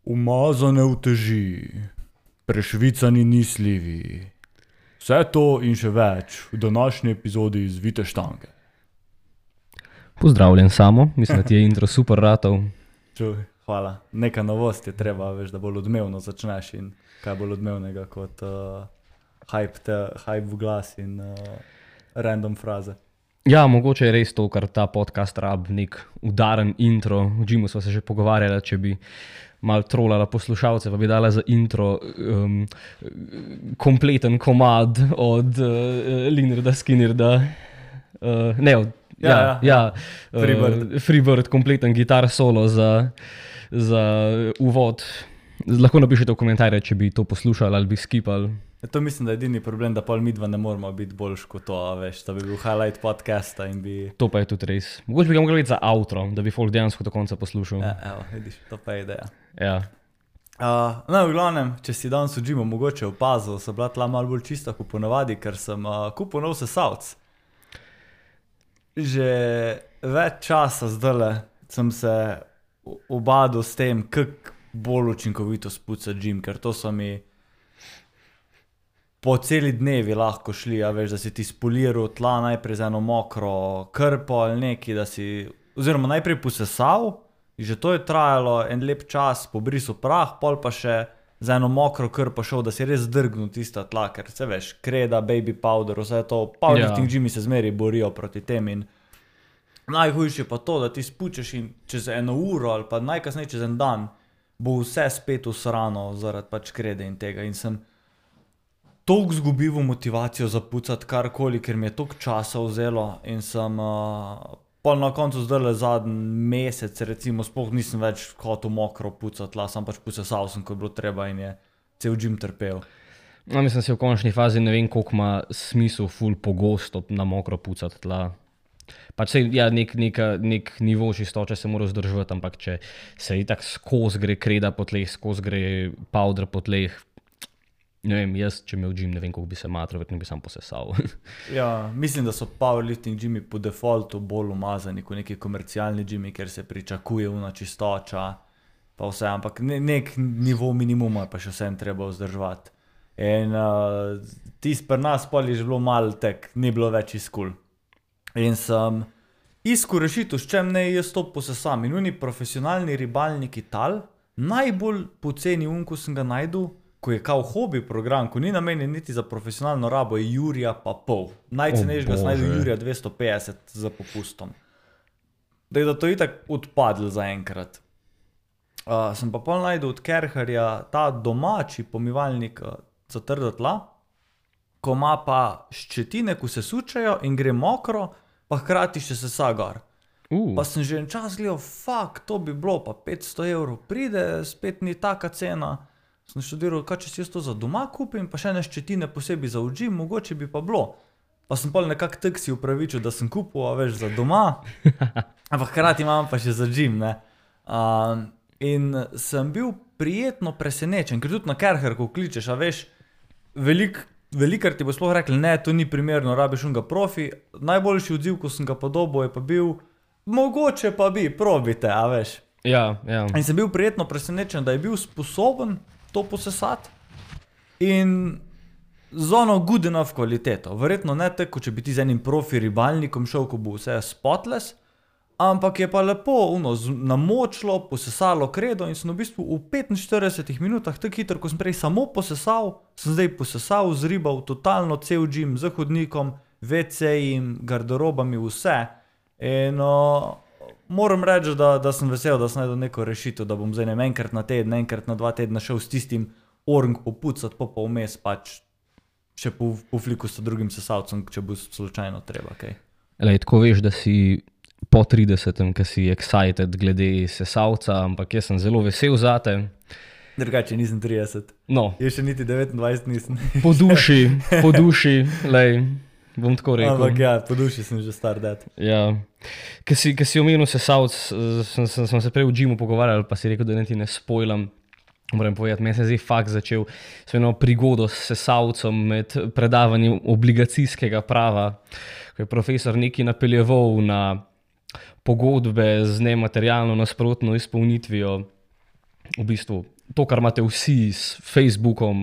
Umazane uteži, prešvicani nisljivi. Vse to in še več v današnji epizodi Zvite štange. Pozdravljen Samo, mislim, da ti je intro super ratov. Čuj, hvala. Neka novost je treba, veš, da bolj odmevno začneš in kaj bolj odmevnega kot hype v glas in random fraze. Ja, mogoče je res to, kar ta podcast rab, nek udaren intro. V gymu sva se že pogovarjala, če bi malo trolala poslušalce, pa bi dala za intro kompleten komad od Linerda, Skinnerda, Freebird, kompleten gitar solo za uvod. Lahko napišete v komentarje, če bi to poslušali ali bi skipali. To mislim, da je edini problem, da pol midva ne moramo biti boljš kot to, veš, da bi bil highlight podcasta in bi... To pa je tudi res. Mogoče bi ga mogli biti za outro, da bi folk dejansko do konca poslušal. Ja, evo, vidiš, to pa je ideja. Ja. No, v glavnem, če si danes v gymu mogoče opazil, so bila tla malo bolj čista kot ponavadi, ker sem kupil nov sesalc. Že več časa zdajle sem se ubadal s tem, kako bolj učinkovito spucati gym, ker to so mi po celi dnevi lahko šli, a veš, da si ti spoliral tla najprej z eno mokro krpo ali neki, da si, oziroma najprej posesal, že to je trajalo en lep čas, pobrisal prah, pol pa še z eno mokro krpo šel, da si res drgnil tista tla, ker se veš, kreda, baby powder, vse to, powerlifting gymi se zmeri borijo proti tem in najhujše pa to, da ti spučeš in čez eno uro ali pa najkasneje čez en dan bo vse spet usrano zaradi pač krede in tega in sem toliko zgubil motivacijo za pucati karkoli, ker mi je toliko časa vzelo in sem pol na koncu zdajle zadnji mesec recimo sploh nisem več hotel mokro pucati tla, sam pač posesal sem, ko je bilo treba in je cel gym trpel. No, mislim, si v končni fazi ne vem, koliko ima smisel ful pogosto na mokro pucati tla. Pač se, ja, nek nivo čistoče se mora vzdrževati, ampak če se itak skozi gre kreda po tleh, skozi gre powder po tleh, ne vem, jaz, če imel gym, ne vem, koliko bi se matral, verjetno bi sam posesal. Ja, mislim, da so powerlifting gymi po defaultu bolj umazani kot neki komercialni gymi, ker se pričakuje una čistoča, pa vse, ampak nek nivo minimuma je pa še vsem treba vzdrževati. In tisto pri nas pol je že bilo malo tek, ni bilo več iskul. In sem iskal rešitev, s čem ne jaz to posesam. In oni profesionalni ribalniki tal, najbolj poceni ko sem ga najdel, ko je kao hobi program, ko ni namenjen niti za profesionalno rabo, je jurja pa pol. Najcenejšega sem najdel jurja 250 za popustom. Da to itak odpadlo zaenkrat. Sem pa pol najdel od Kerherja ta domači pomivalnik za trda tla, ko ima pa ščetine, ko se sučajo in gre mokro, pa hkrati še sesa gor. Pa sem že en čas gledal, to bi bilo, pa 500 € pride, spet ni taka cena. Sem študiral, kaj če si jaz to za doma kupim, pa še ene ščetine posebej za v gym, mogoče bi pa bilo. Pa sem pol nekak tak si upravičil, da sem kupil, a veš, za doma, ampak hkrati imam pa še za gym, ne. In sem bil prijetno presenečen, ker tudi na Kerher, ko kličeš, a veš, velikrat ti bo sploh rekli, ne, to ni primerno, rabiš unga profi, najboljši odziv, ko sem ga podobal, je pa bil, mogoče pa bi, probite, a veš. Ja, ja. In sem bil prijetno presenečen, da je bil sposoben to posesati in z ono good enough kvaliteto. Verjetno ne tako, če bi ti z enim profi ribalnikom šel, ko bo vse spotless, ampak je pa lepo namočilo, posesalo kredo in sem v bistvu v 45 minutah, tako hitro, ko sem prej samo posesal, sem zdaj posesal, zribal totalno cel gym z hodnikom, WC-jem, garderobami, vse. In moram reči, da sem vesel, da sem najdel neko rešitev, da bom zdaj enkrat na teden, enkrat na 2 tedna šel s tistim orang popucati, pa vmes pač še po fliku s drugim sesalcem, če bo slučajno treba, kaj. Lej, tako veš, da si po 30, ki si excited glede sesalca, ampak jaz sem zelo vesel zate. Drugače nisem 30. No. Jaz še niti 29 nisem. Po duši, lej. Bom tako rekel. Ampak ja, po duši sem že star dad. Ja. Ko si omenil sesalc, sem se prej v gymu pogovarjal, pa si rekel, da ne ti ne spoilam. Moram povedati, meni se je zdaj fakt začel s eno prigodo s sesalcem med predavanjem obligacijskega prava, ko je profesor nekaj napeljeval na pogodbe z nematerialno nasprotno izpolnitvijo v bistvu to, kar imate vsi s Facebookom,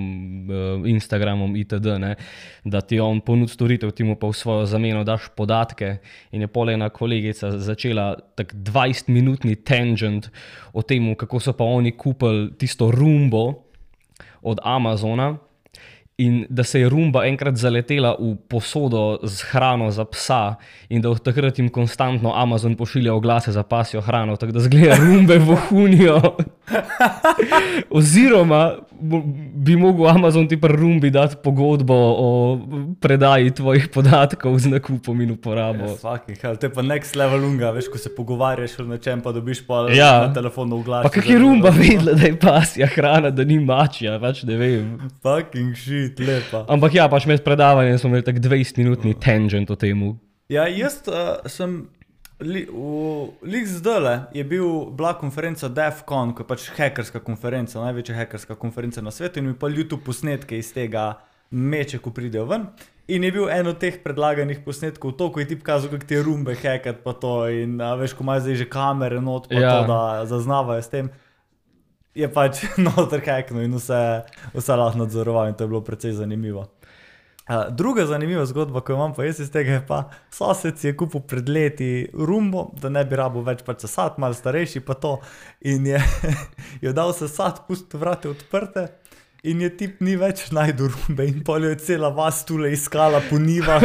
Instagramom itd., ne, da ti on ponudi storitev, ti mu pa v svojo zameno daš podatke in je pol ena kolegica začela tak 20-minutni tangent o tem, kako so pa oni kupili tisto Roombo od Amazona in da se je Roomba enkrat zaletela v posodo z hrano za psa in da od takrat jim konstantno Amazon pošilja oglase za pasjo hrano, tako da zgleda Roombe vohunijo. Oziroma bi mogel Amazon ti pri Roombi dati pogodbo o predaji tvojih podatkov z nakupom in uporabo. Yes, fucking hell, to je pa next level unga, veš, ko se pogovarjaš o nečem, pa dobiš pa na telefonu oglas. Pa kak je Roomba vedela, da je pasja hrana, da ni mačja, pač ne vem. Fucking shit, lepa. Ampak ja, pač med predavanjem smo imeli tak 20-minutni tangent o temu. Ja, jaz sem lik zdajle je bila konferenca DEF-CON, ko je pač hackerska konferenca, največja hackerska konferenca na svetu in mi pa YouTube posnetke iz tega meče, ko pridejo ven. In je bil en od teh predlaganih posnetkov to, ko je tip kazal, kako ti je Roombe hackat pa to in veš, ko imajo zdaj že kamere not pa to, da zaznavajo s tem. Je pač noter hacknul in vse lahko nadzoroval in to je bilo precej zanimivo. Druga zanimiva zgodba, ko imam pa jaz iz tega, je pa sosed si je kupil pred leti Roombo, da ne bi rabo več pač sesat, malo starejši pa to in je dal sesat, pustil vrate odprte in je tip ni več najdu Roombe in pol je cela vas tule iskala po njivah,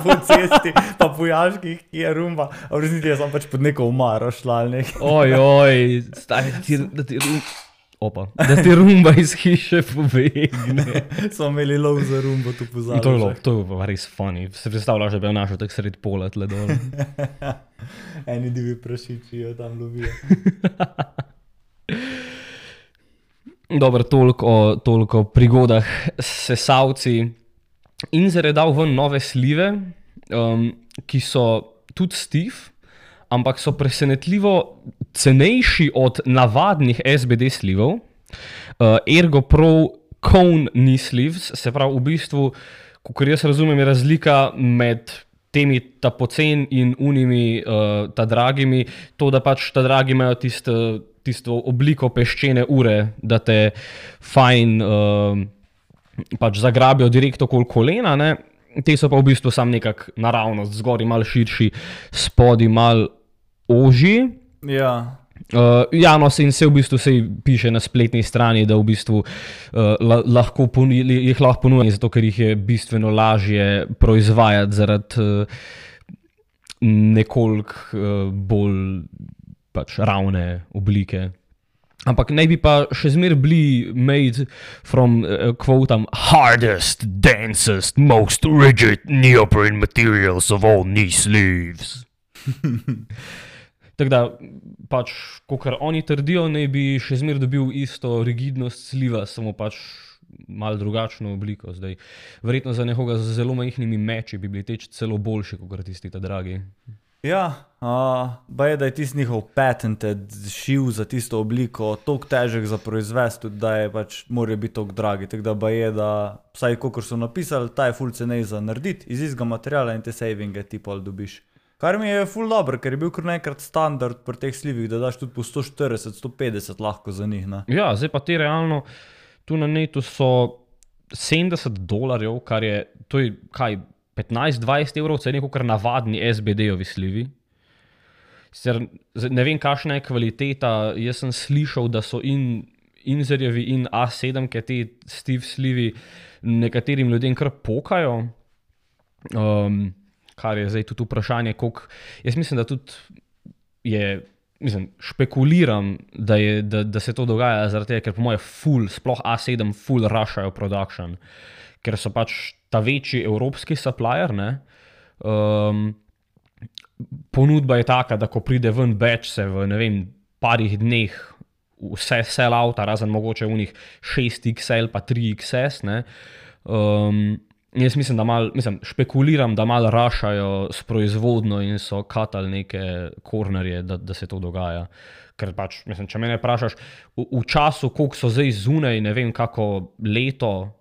po cesti, pa po jaških, ki je Roomba, a v resnici je sam pač pod neko omaro šla ali nekaj. Ojoj, da ti Roomba iz hiše pobegne. Smo imeli lov za Roombo, tu pozabili. To je pa res funny. Se predstavljaš, da bi jo našel tak sred pola tle dole. Eni divi prašiči jo tam lovijo. Dobro, toliko o prigodah s sesalci. Inzer je dal ven nove slive, ki so tudi Steve, ampak so presenetljivo cenejši od navadnih SBD slivov. Ergo Pro Cone knee sleeves, se pravi v bistvu, kakor jaz razumem, je razlika med temi ta pocen in unimi ta dragimi, to da pač ta dragi imajo tisto obliko peščene ure, da te fajn pač zagrabijo direkt okoli kolena, ne. Te so pa v bistvu sam nekak naravnost, zgori malo širši, spodi malo ožji. Ja. No, se v bistvu se piše na spletni strani, da v bistvu jih lahko ponujajo, zato ker jih je bistveno lažje proizvajati zaradi nekoliko bolj pač ravne oblike. Ampak naj bi pa še zmer bili made from, quotam, hardest, densest, most rigid neoprene materials of all knee sleeves. Tako da, pač, kakor oni trdijo, naj bi še zmer dobil isto rigidnost sliva, samo pač malo drugačno obliko zdaj. Verjetno za nekoga z zelo majhnimi meči bi bili teč celo boljši, kakor tisti ta dragi. Ja, da je tisti njihov patented šiv za tisto obliko toliko težek za proizvesti, tudi da je pač morajo biti toliko dragi. Tako da je, da vsaj kakor so napisali, ta je ful cenej za narediti iz istega materiala in te savinge ti pol dobiš. Kar mi je ful dobro, ker je bil kar nekrat standard pri teh slivih, da daš tudi po 140-150 lahko za njih, ne? Ja, zdaj pa te realno, tu na netu so $70, kar je, to je kaj, 15-20 evrov cene, kakor navadni SBD-ovi slivi. Sicer ne vem, kakšna je kvaliteta, jaz sem slišal, da so Inzerjevi in A7, ki te Steve slivi nekaterim ljudem kar pokajo. Kar je zdaj tudi vprašanje, koliko, jaz mislim, da tudi špekuliram, da se to dogaja zaradi tega, ker po moje sploh A7 full rushajo production, ker so pač ta večji evropski supplier, ne, ponudba je taka, da ko pride ven batch se v, ne vem, parih dneh vse sell outa, razen mogoče unih 6XL pa 3XS, ne, jaz špekuliram, da malo rašajo s proizvodno in so katali neke kornerje, da se to dogaja. Ker pač, če mene vprašaš, v času, koliko so zdaj zunaj, ne vem, kako leto,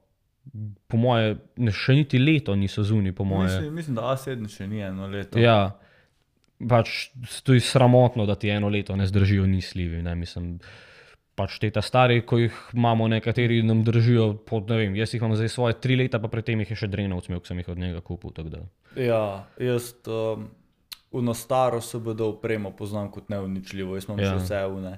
po moje, še niti leto niso zunaj, po moje. Mislim, da A7 še ni eno leto. Ja, pač to je sramotno, da ti eno leto ne zdržijo ni slivi, ne, mislim. pač te ta stari, ko jih imamo nekateri, nam držijo pod, ne vem, jaz jih imam zdaj svoje 3 leta, pa pred tem jih je še Drenovc imel, ko sem jih od njega kupil, tako da. Ja, jaz uno staro SBD opremo poznam kot neuničljivo, jaz imam še vse une,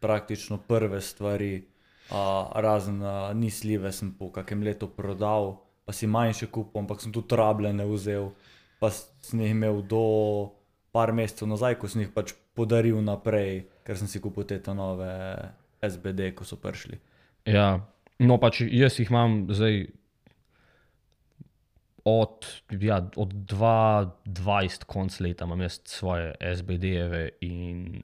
praktično prve stvari, razen ni slive sem po kakem letu prodal, pa si manjše kupil, ampak sem tudi rabljene vzel, pa sem jih imel do par mesecev nazaj, ko sem jih pač podaril naprej, ker sem si kupil te nove SBD, ko so prišli. Ja, no pač jaz jih imam zdaj od 2020 konc leta imam jaz svoje SBD-jeve in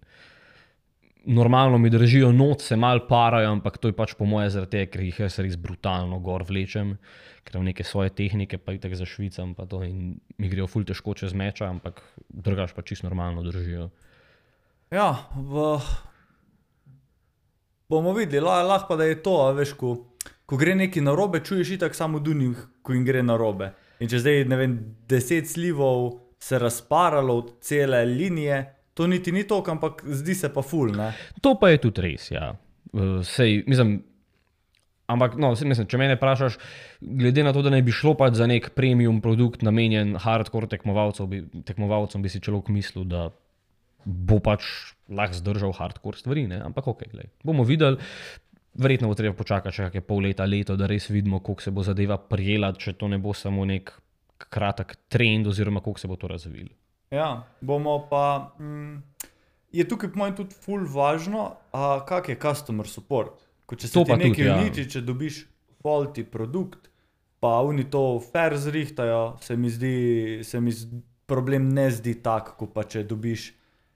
normalno mi držijo noč, se malo parajo, ampak to je pač po moje zaradi tega, ker jih jaz res brutalno gor vlečem, ker imam neke svoje tehnike, pa itak zašvicam pa to in mi grejo ful težko čez meča, ampak drugač pa čisto normalno držijo. Ja, bomo videli, lahko pa da je to, veš, ko gre neki narobe, čuješ itak samo dunih, ko jim gre narobe. In če zdaj, ne vem, 10 slivov se razparalo od cele linije, to niti ni toliko, ampak zdi se pa ful, ne? To pa je tudi res, ja. Sej, mislim, ampak no, mislim, če mene vprašaš, glede na to, da ne bi šlo pač za nek premium produkt namenjen hardcore tekmovalcem, bi si človek mislil, da bo pač lahko zdržal hardcore stvari, ne? Ampak okej, glej, bomo videli. Verjetno bo treba počakati še kakšne pol leta, leto, da res vidimo, koliko se bo zadeva prijela, če to ne bo samo nek kratek trend oziroma koliko se bo to razvilo. Ja, bomo pa, je tukaj po mojem tudi ful važno, kak je customer support. Ko če se ti nekaj uniči, če dobiš faulty produkt, pa oni to fair zrihtajo, se mi problem ne zdi tak, ko pa če dobiš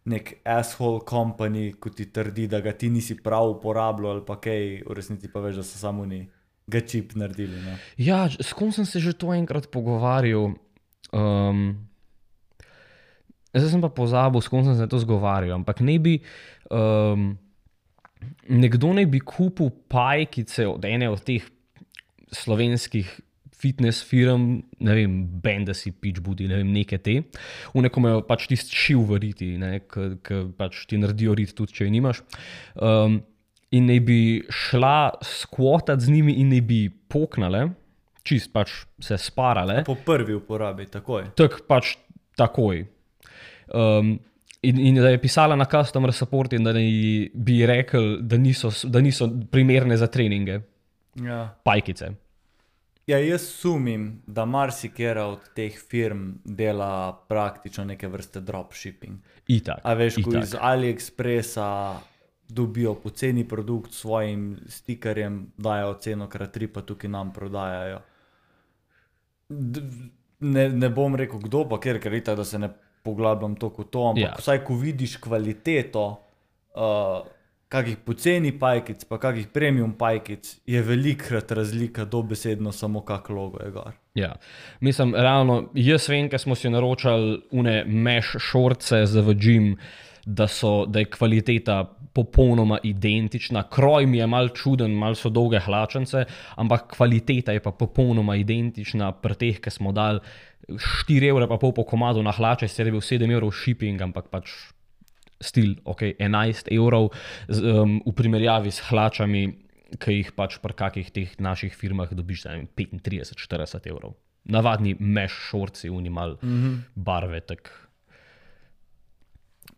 nek asshole company, ko ti trdi, da ga ti nisi prav uporabljal ali pa kaj, v resnici pa veš, da so samo oni ga čip naredili. Ne? Ja, s kom sem se že to enkrat pogovarjal, zdaj sem pa pozabil, s kom sem se to zgovarjal, ampak nekdo ne bi kupil pajkice od ene od teh slovenskih fitness firm, ne vem, Bandasi, Pitch Budi, ne vem, neke te. Uneko me pač tisti šiv v riti, ki pač ti naredijo rit tudi, če jo nimaš. In ne bi šla skvotat z njimi in ne bi poknale, čist pač se sparale. Po prvi uporabi, takoj. Tak pač takoj. In da je pisala na customer support in da bi rekel, da niso primerne za treninge. Ja. Pajkice. Ja, jaz sumim, da marsikera od teh firm dela praktično neke vrste dropshipping. Itak. A veš, ko iz AliExpressa dobijo poceni produkt s svojim stikerjem, dajo ceno krat 3, pa tukaj nam prodajajo. Ne bom rekel kdo, pa ker itak, da se ne poglabljam toliko to, ampak vsaj ko vidiš kvaliteto kakih poceni pajkic, pa kakih premium pajkic, je velikrat razlika dobesedno samo kak logo je gor. Ja, mislim, realno, jaz vem, ker smo si naročali une mesh shortse za v gym, da je kvaliteta popolnoma identična. Kroj mi je malo čuden, malo so dolge hlačence, ampak kvaliteta je pa popolnoma identična pri teh, ki smo dali 4,5 € po komadu na hlače, sicer je bil 7 € shipping, ampak pač stil, ok, 11 € v primerjavi s hlačami, ki jih pač pri kakih teh naših firmah dobiš za 35-40 €. Navadni mesh shortsi, unimal barve, tak.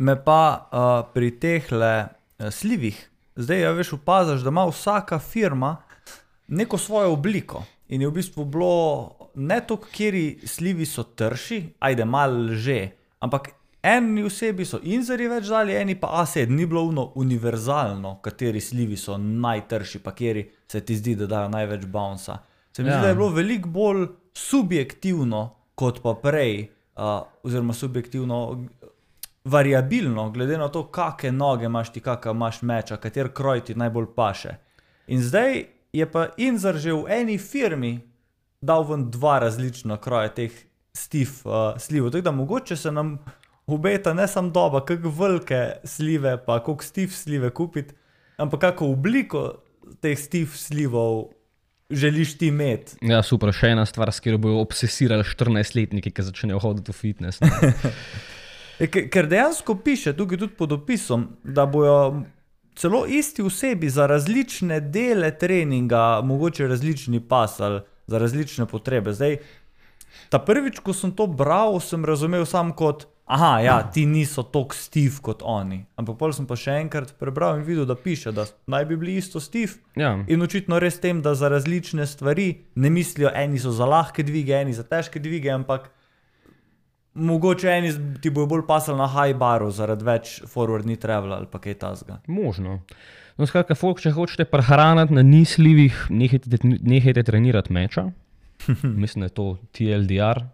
Me pa pri tehle slivih, zdaj ja veš opazaš, da ima vsaka firma neko svojo obliko in je v bistvu bilo ne toliko, kjeri slivi so trši, ajde malo že, ampak eni osebi so inzerji več dali, eni pa A7, ni bilo univerzalno, kateri slivi so najtrši, pa kjeri se ti zdi, da dajo največ bounca. Se mi zdi, da je bilo veliko bolj subjektivno, kot pa prej, oziroma subjektivno variabilno, glede na to, kakšne noge imaš ti, kakšna imaš meča, kater kroj ti najbolj paše. In zdaj je pa Inzer že v eni firmi dal ven 2 različna kroja teh slivov, tako da mogoče se nam obeta ne samo doba, kako velike slive, pa koliko stiv slive kupiti, ampak kako obliko teh stiv slivov želiš ti imeti. Ja, super, še ena stvar, s katero bojo obsesirali 14-letniki, ki začnejo hoditi v fitness. Ker dejansko piše tukaj tudi pod opisom, da bojo celo isti osebi za različne dele treninga, mogoče različni pas ali za različne potrebe. Zdaj, ta prvič, ko sem to bral, sem razumel sam kot, ti niso toliko stiv kot oni. Ampak potem sem pa še enkrat prebral in videl, da piše, da naj bi bili isto stiv. Ja. In očitno res tem, da za različne stvari ne mislijo, eni so za lahke dvige, eni za težke dvige, ampak mogoče eni ti bojo bolj pasali na high baru zaradi več forward knee travel ali pa kaj tasga. Možno. No, skratka, folk, če hočete prehraniti na nislivih, nehajte trenirati meča. Mislim, da je to TLDR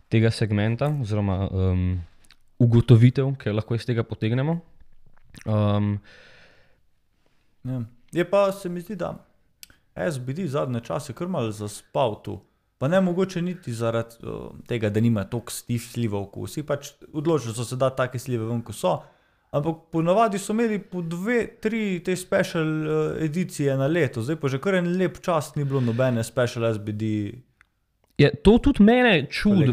tega segmenta, oziroma ugotovitev, ki lahko iz tega potegnemo. Ja. Je pa, se mi zdi, da SBD zadnje čase kar malo zaspal tu. Pa ne mogoče niti zaradi tega, da nima toliko slivov, ko vsi pač odločili so se dati take slive ven, ko so. Ampak ponavadi so imeli po 2-3 te special edicije na leto. Zdaj pa že kar en lep čas ni bilo nobene special SBD. Je, to tudi mene čudi.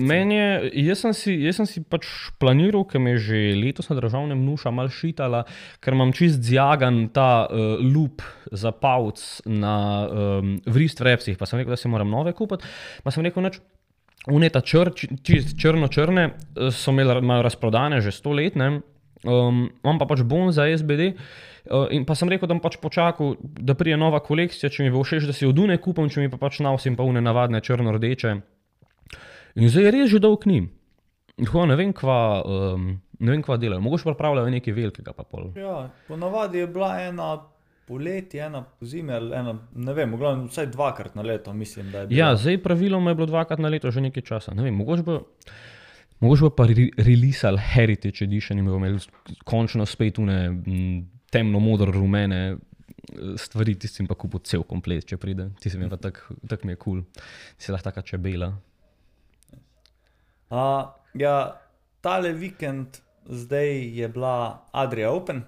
Jaz sem si pač planiral, ker me že letos na državnem nuša malo šitala, ker imam čist zjagan ta loop za pavc na wrist wrapsih, pa sem rekel, da si moram nove kupiti. Pa sem rekel, uneta črno-črne so imajo razprodane že 100 let, ne. Imam pa pač bon za SBD in pa sem rekel, da bom pač počakal, da prije nova kolekcija, če mi bo všeč, da si od une kupam, če mi pa pač nosim pa une navadne črno-rdeče. In zdaj je res že dolg njim. Tako ne vem, kva delajo. Mogoče pripravljajo nekaj velikega pa pol. Ja, ponavadi je bila ena poleti, ena pozimi, ena, ne vem, vsaj 2-krat na leto, mislim, da je bila. Ja, zdaj praviloma je bilo 2-krat na leto že nekaj časa. Ne vem, mogoče pa releasali Heritage Edition in bomo imeli končno spet une temno-modro-rumene stvari, tistim pa kupil cel komplet, če pride. Tistim je pa tak mi je cool. Si lahko taka čebela. Ja, tale vikend zdaj je bila Adria Open.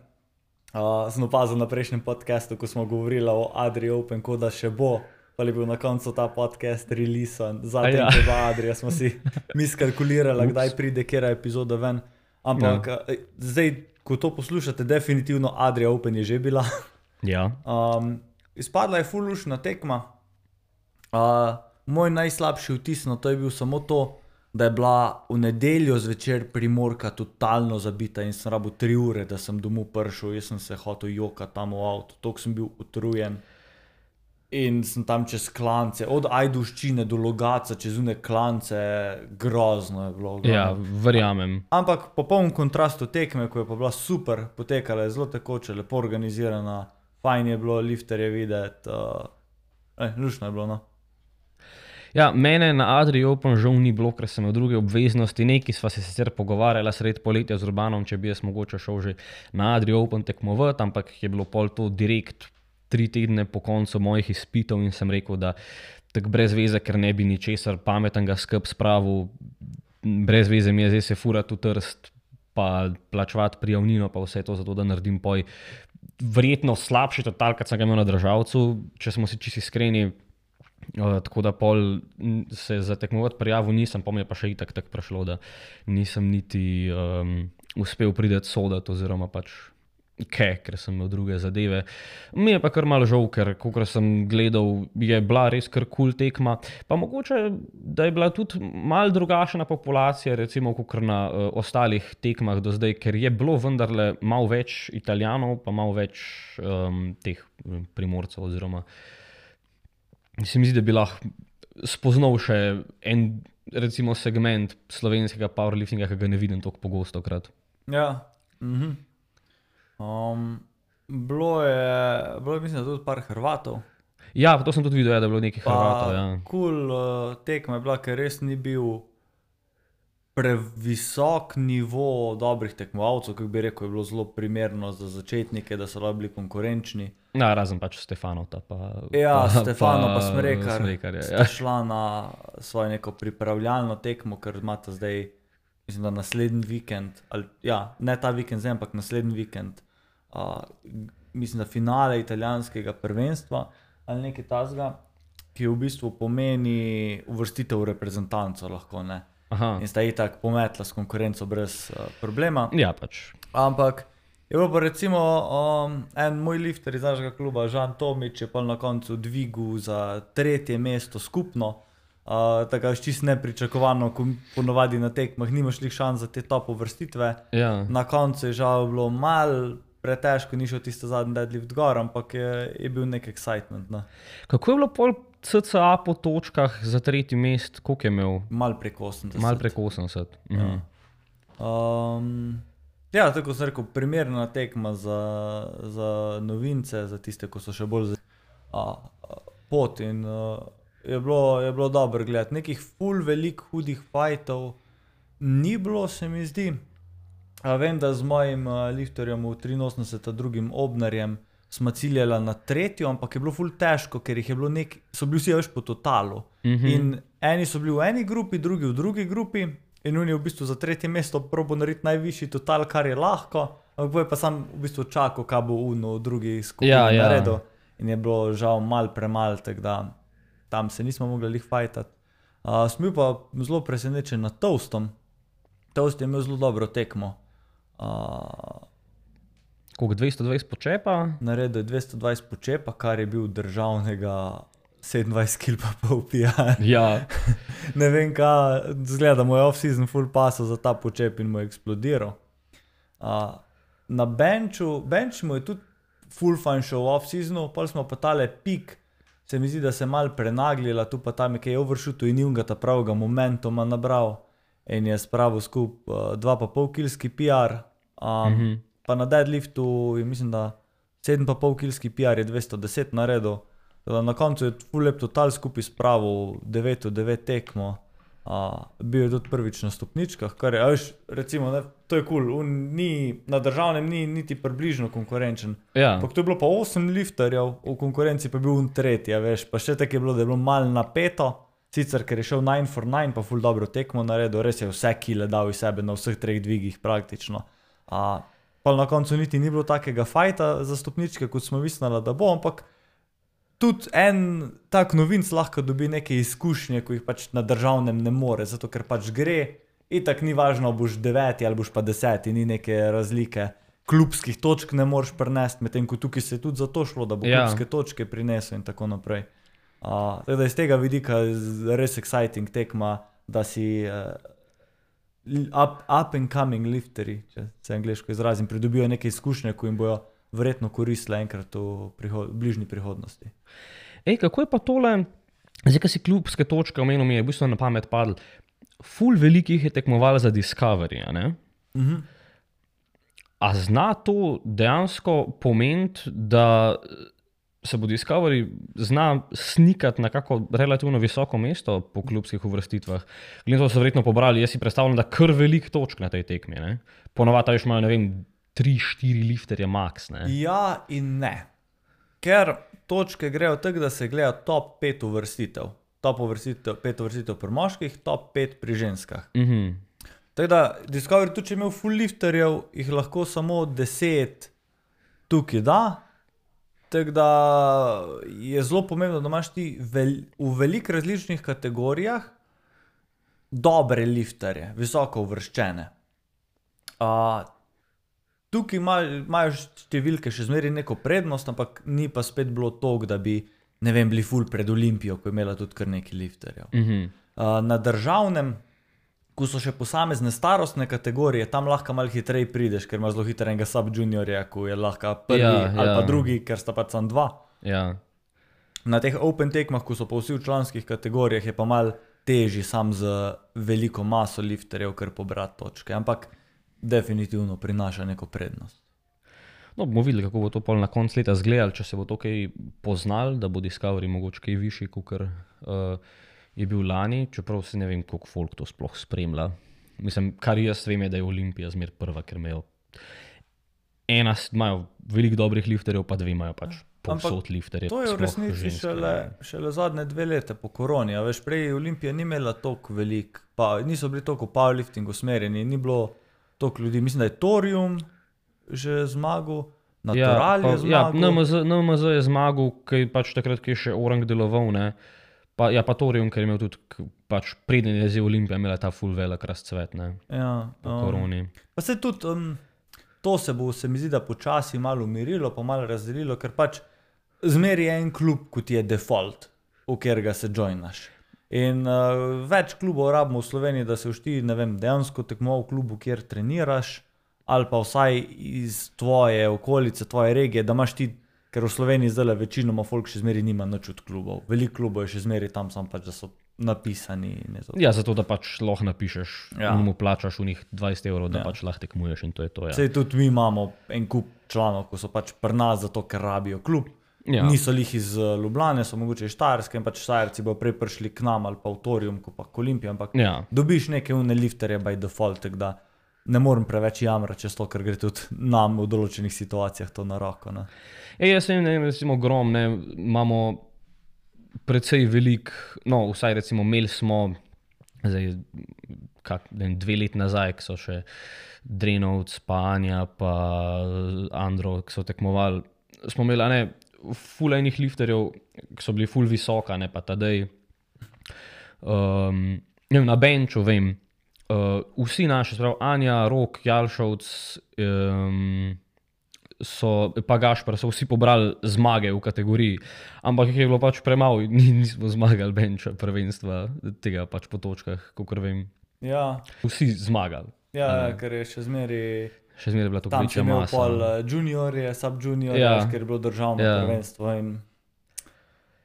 Sem opazil na prejšnjem podcastu, ko smo govorili o Adria Open, ko da še bo, pa je bil na koncu ta podcast releasan. Zadnji je bila Adria, smo si mi skalkulirali, kdaj pride kera epizoda ven. Ampak zdaj, ko to poslušate, definitivno Adria Open je že bila. Ja. Izpadla je ful luštna tekma. Moj najslabši vtis na to je bil samo to, da je bila v nedeljo zvečer Primorka totalno zabita in sem rabil 3 ure, da sem domov prišel. Jaz sem se hotel jokati tam v avtu, toliko sem bil utrujen. In sem tam čez klance, od Ajdovščine do Logatca, čez une klance, grozno je bilo. Ja, verjamem. Ampak popoln kontrast od tekme, ko je pa bila super, potekala je zelo tekoče, lepo organizirana, fajn je bilo, lifterje videti, luštno je bilo, no. Ja, mene na Adria Open žal ni bilo, ker sem imel druge obveznosti. Nekaj sva se sicer pogovarjala sred poletja z Urbanom, če bi jaz mogoče šel že na Adria Open tekmovati, ampak je bilo pol to direkt 3 tedne po koncu mojih izpitov in sem rekel, da tako brez veze, ker ne bi ničesar pametnega skup spravil, brez veze mi je zdaj se furati v Trst, pa plačevati prijavnino, pa vse to zato, da naredim poj verjetno slabši total, kot sem ga imel na državcu, če smo si čisto iskreni. Tako da pol se za tekmovati prijavil nisem, pa mi je pa še itak tako prišlo, da nisem niti uspel prideti sodati oziroma pač ker sem imel druge zadeve. Mi je pa kar malo žal, ker kakor sem gledal, je bila res kar cool tekma. Pa mogoče, da je bila tudi malo drugačna populacija, recimo kakor na ostalih tekmah do zdaj, ker je bilo vendarle malo več Italijanov, pa malo več teh Primorcev oziroma se mi zdi, da bi lahko spoznal še en, recimo, segment slovenskega powerliftinga, ki ga ne vidim toliko pogosto krat. Ja. Bilo je, mislim, da tudi par Hrvatov. Ja, to sem tudi videl, da je bilo nekaj Hrvatov, ja. Cool tekma je bila, ker res ni bil previsok nivo dobrih tekmovalcev, kako bi rekel, je bilo zelo primerno za začetnike, da so bili konkurenčni. Ja, razen pač Stefanov pa... Ja, Stefanov pa Smrekar ja. sta šla na svojo neko pripravljalno tekmo, ker imata zdaj, mislim, da naslednji vikend, ne ta vikend zdaj, ampak naslednji vikend, mislim, da finale italijanskega prvenstva ali nekaj tasga, ki v bistvu pomeni uvrstitev v reprezentanco lahko, ne. Aha. In sta itak pometla s konkurenco brez problema. Ja, pač. Ampak Je bilo pa recimo en moj lifter iz našega kluba, Žan Tomič, je pa na koncu dvigu za 3. mesto skupno. Tako je čisto nepričakovano, ko ponovadi na tekmah nimaš lih šans za te top uvrstitve. Ja. Na koncu je žal bilo malo pretežko, ni šel tisto zadnji deadlift gor, ampak je bil nek excitement. No. Kako je bilo pol CCA po točkah za 3. mest, koliko je imel? Mal preko 80. Mal preko 80. Mhm. Ja, tako sem rekel, primerna tekma za novince, za tiste, ko so še bolj pot in je bilo dobro gledati. Nekih ful velik hudih fajtov ni bilo, se mi zdi. Vem, da z mojim lifterjem v 83. drugim Obnarjem smo ciljali na 3., ampak je bilo ful težko, ker jih je bilo so bili vsi več po totalu. In eni so bili v eni grupi, drugi v drugi grupi. In on je v bistvu za 3. mesto probo narediti najvišji total, kar je lahko, ampak je pa sam v bistvu čakal, kaj bo v drugi skupini naredil. In je bilo žal malo premalo, tako da tam se nismo mogli lih fajtati. Sem bil pa zelo presenečen nad Toastom. Toast je imel zelo dobro tekmo. Koliko 220 počepa? Naredil je 220 počepa, kar je bil državnega 27 kg pa pol pijan. Ja. Ne vem kaj, zgleda, mu je off-season full pasal za ta počep in mu je eksplodiral. Na benchu mu je tudi full fun šel v off-seasonu, pol smo pa tale pik, se mi zdi, da se je malo prenaglila, tu pa tam je kaj overshootu in ni ta pravega momentuma nabral in je spravil skup 2,5 kilski PR, pa na deadliftu je mislim, da 7,5 kilski PR je 210 naredil. Na koncu je ful lep total skupaj spravil 9 tekmo, bil je tudi prvič na stopničkah, kar je, recimo, ne, to je cool, na državnem ni niti približno konkurenčen. Ja. To je bilo pa 8 lifterjev, v konkurenci pa je bil 3, veš, pa še tako je bilo, da je bilo malo napeto, sicer ker je šel 9 for 9, pa ful dobro tekmo naredil, res je vse kile dal iz sebe na vseh 3 dvigih praktično. Pa na koncu niti ni bilo takega fajta za stopničke, kot smo mislili, da bo, ampak tudi en tak novinc lahko dobi neke izkušnje, ko jih pač na državnem ne more, zato ker pač gre, itak ni važno, boš 9 ali boš pa 10, ni neke razlike. Klubskih točk ne moreš prinesti, medtem ko tukaj se je tudi za to šlo, da bo klubske točke prinesel in tako naprej. Tako da iz tega vidika res exciting tekma, da si up and coming lifteri, če se angleško izrazim, pridobijo neke izkušnje, ko jim bojo verjetno koristile enkrat v bližnji prihodnosti. Kako je pa tole, zdaj, ko si klubske točke omenil, mi je v bistvu na pamet padlo, ful velikih je tekmoval za Discovery, a ne? A zna to dejansko pomeniti, da se bo Discovery zna snikati na kako relativno visoko mesto po klubskih uvrstitvah? Glede to so verjetno pobrali, jaz si predstavljam, da kar velik točk na tej tekmi, ne? Ponovadi veš malo, ne vem, 3-4 lifterje max, ne? Ja in ne. Ker točke grejo tako, da se gleda top 5 uvrstitev. Top 5 uvrstitev pri moških, top 5 pri ženskah. Tako da Discovery tudi, če imel full lifterjev, jih lahko samo 10 tukaj da. Tako da je zelo pomembno, da imaš ti v veliko različnih kategorijah dobre lifterje, visoko uvrščene. Tukaj imajo številke še zmeraj neko prednost, ampak ni pa spet bilo toliko, da bi, ne vem, bili ful pred Olimpijo, ko je imela tudi kar nekaj lifterjev. Na državnem, ko so še posamezne starostne kategorije, tam lahko malo hitreje prideš, ker imaš zelo hitro enega sub-juniorja, ko je lahko prvi ali pa drugi, ker sta pač samo 2. Na teh open tekmah, ko so pa vsi v članskih kategorijah, je pa malo težji sam z veliko maso lifterjev, ker pobrati točke, ampak definitivno prinaša neko prednost. No, bomo videli, kako bo to pol na konc leta zgledalo, če se bo to kaj poznal, da bo Discovery mogoče kaj višji, kakor je bil lani, čeprav se ne vem, koliko folk to sploh spremlja. Mislim, kar jaz vem je, da je Olimpija zmer prva, ker imajo veliko dobrih lifterjev, pa 2 imajo pač povsod lifterje. To je v resnici šele zadnje 2 leta po koroni, a veš, prej Olimpija ni imela toliko velik, pa niso bili toliko powerlifting usmerjeni, ni bilo toliko ljudi, mislim, da je Thorium že zmagal, Natural je zmagal. NMZ je zmagal, kaj pač takrat, ki je še Orang deloval, ne. Pa Thorium, ker je imel tudi, pač preden je zdaj Olimpija imela ta full velik razcvet, ne. Po koroni. Pa se tudi, to se bo, se mi zdi, da počasi malo umirilo, pa malo razdelilo, ker pač zmeri je en klub, kot je default, v katerega se joinaš. In več klubov rabimo v Sloveniji, da se ti, ne vem, dejansko tekmoval v klubu, kjer treniraš, ali pa vsaj iz tvoje okolice, tvoje regije, da imaš ti, ker v Sloveniji zdaj večinoma folk še zmeri nima nič od klubov. Veliko klubov je še zmeri tam, sam pač, da so napisani. Ja, zato da pač lahko napišeš, mu plačaš v njih 20 €, da pač lahko tekmuješ in to je to. Ja. Sej tudi mi imamo en kup članov, ko so pač pri nas zato, ker rabijo klub. Niso lih iz Ljubljane, so mogoče iz Štajerske in pač Štajerci bo prej prišli k nam ali pa v Torium, ko pa k Olimpiji, ampak dobiš neke une lifterje by default, tako da ne morem preveč jamrati čez to, ker gre tudi nam v določenih situacijah to na roko. Ne. Jaz vem, recimo Grom, ne, imamo precej velik, no vsaj recimo imeli smo zdaj, 2 leti nazaj, ki so še Drenovc, pa Anja, pa Andro, ki so tekmovali, smo imeli ful enih lifterjev, ki so bili ful visoka, ne, pa tadej na benču, vem, vsi naši, sprav Anja, Rok, Jalšovc, pa Gašper, so vsi pobrali zmage v kategoriji, ampak jih je bilo pač premalo, nismo zmagali benča prvenstva tega pač po točkah, kakor vem. Ja. Vsi zmagali. Ja, ker je še zmeri bila to tam večja imel masa. pol juniorje, sub-juniorje, ker je bilo državno prvenstvo in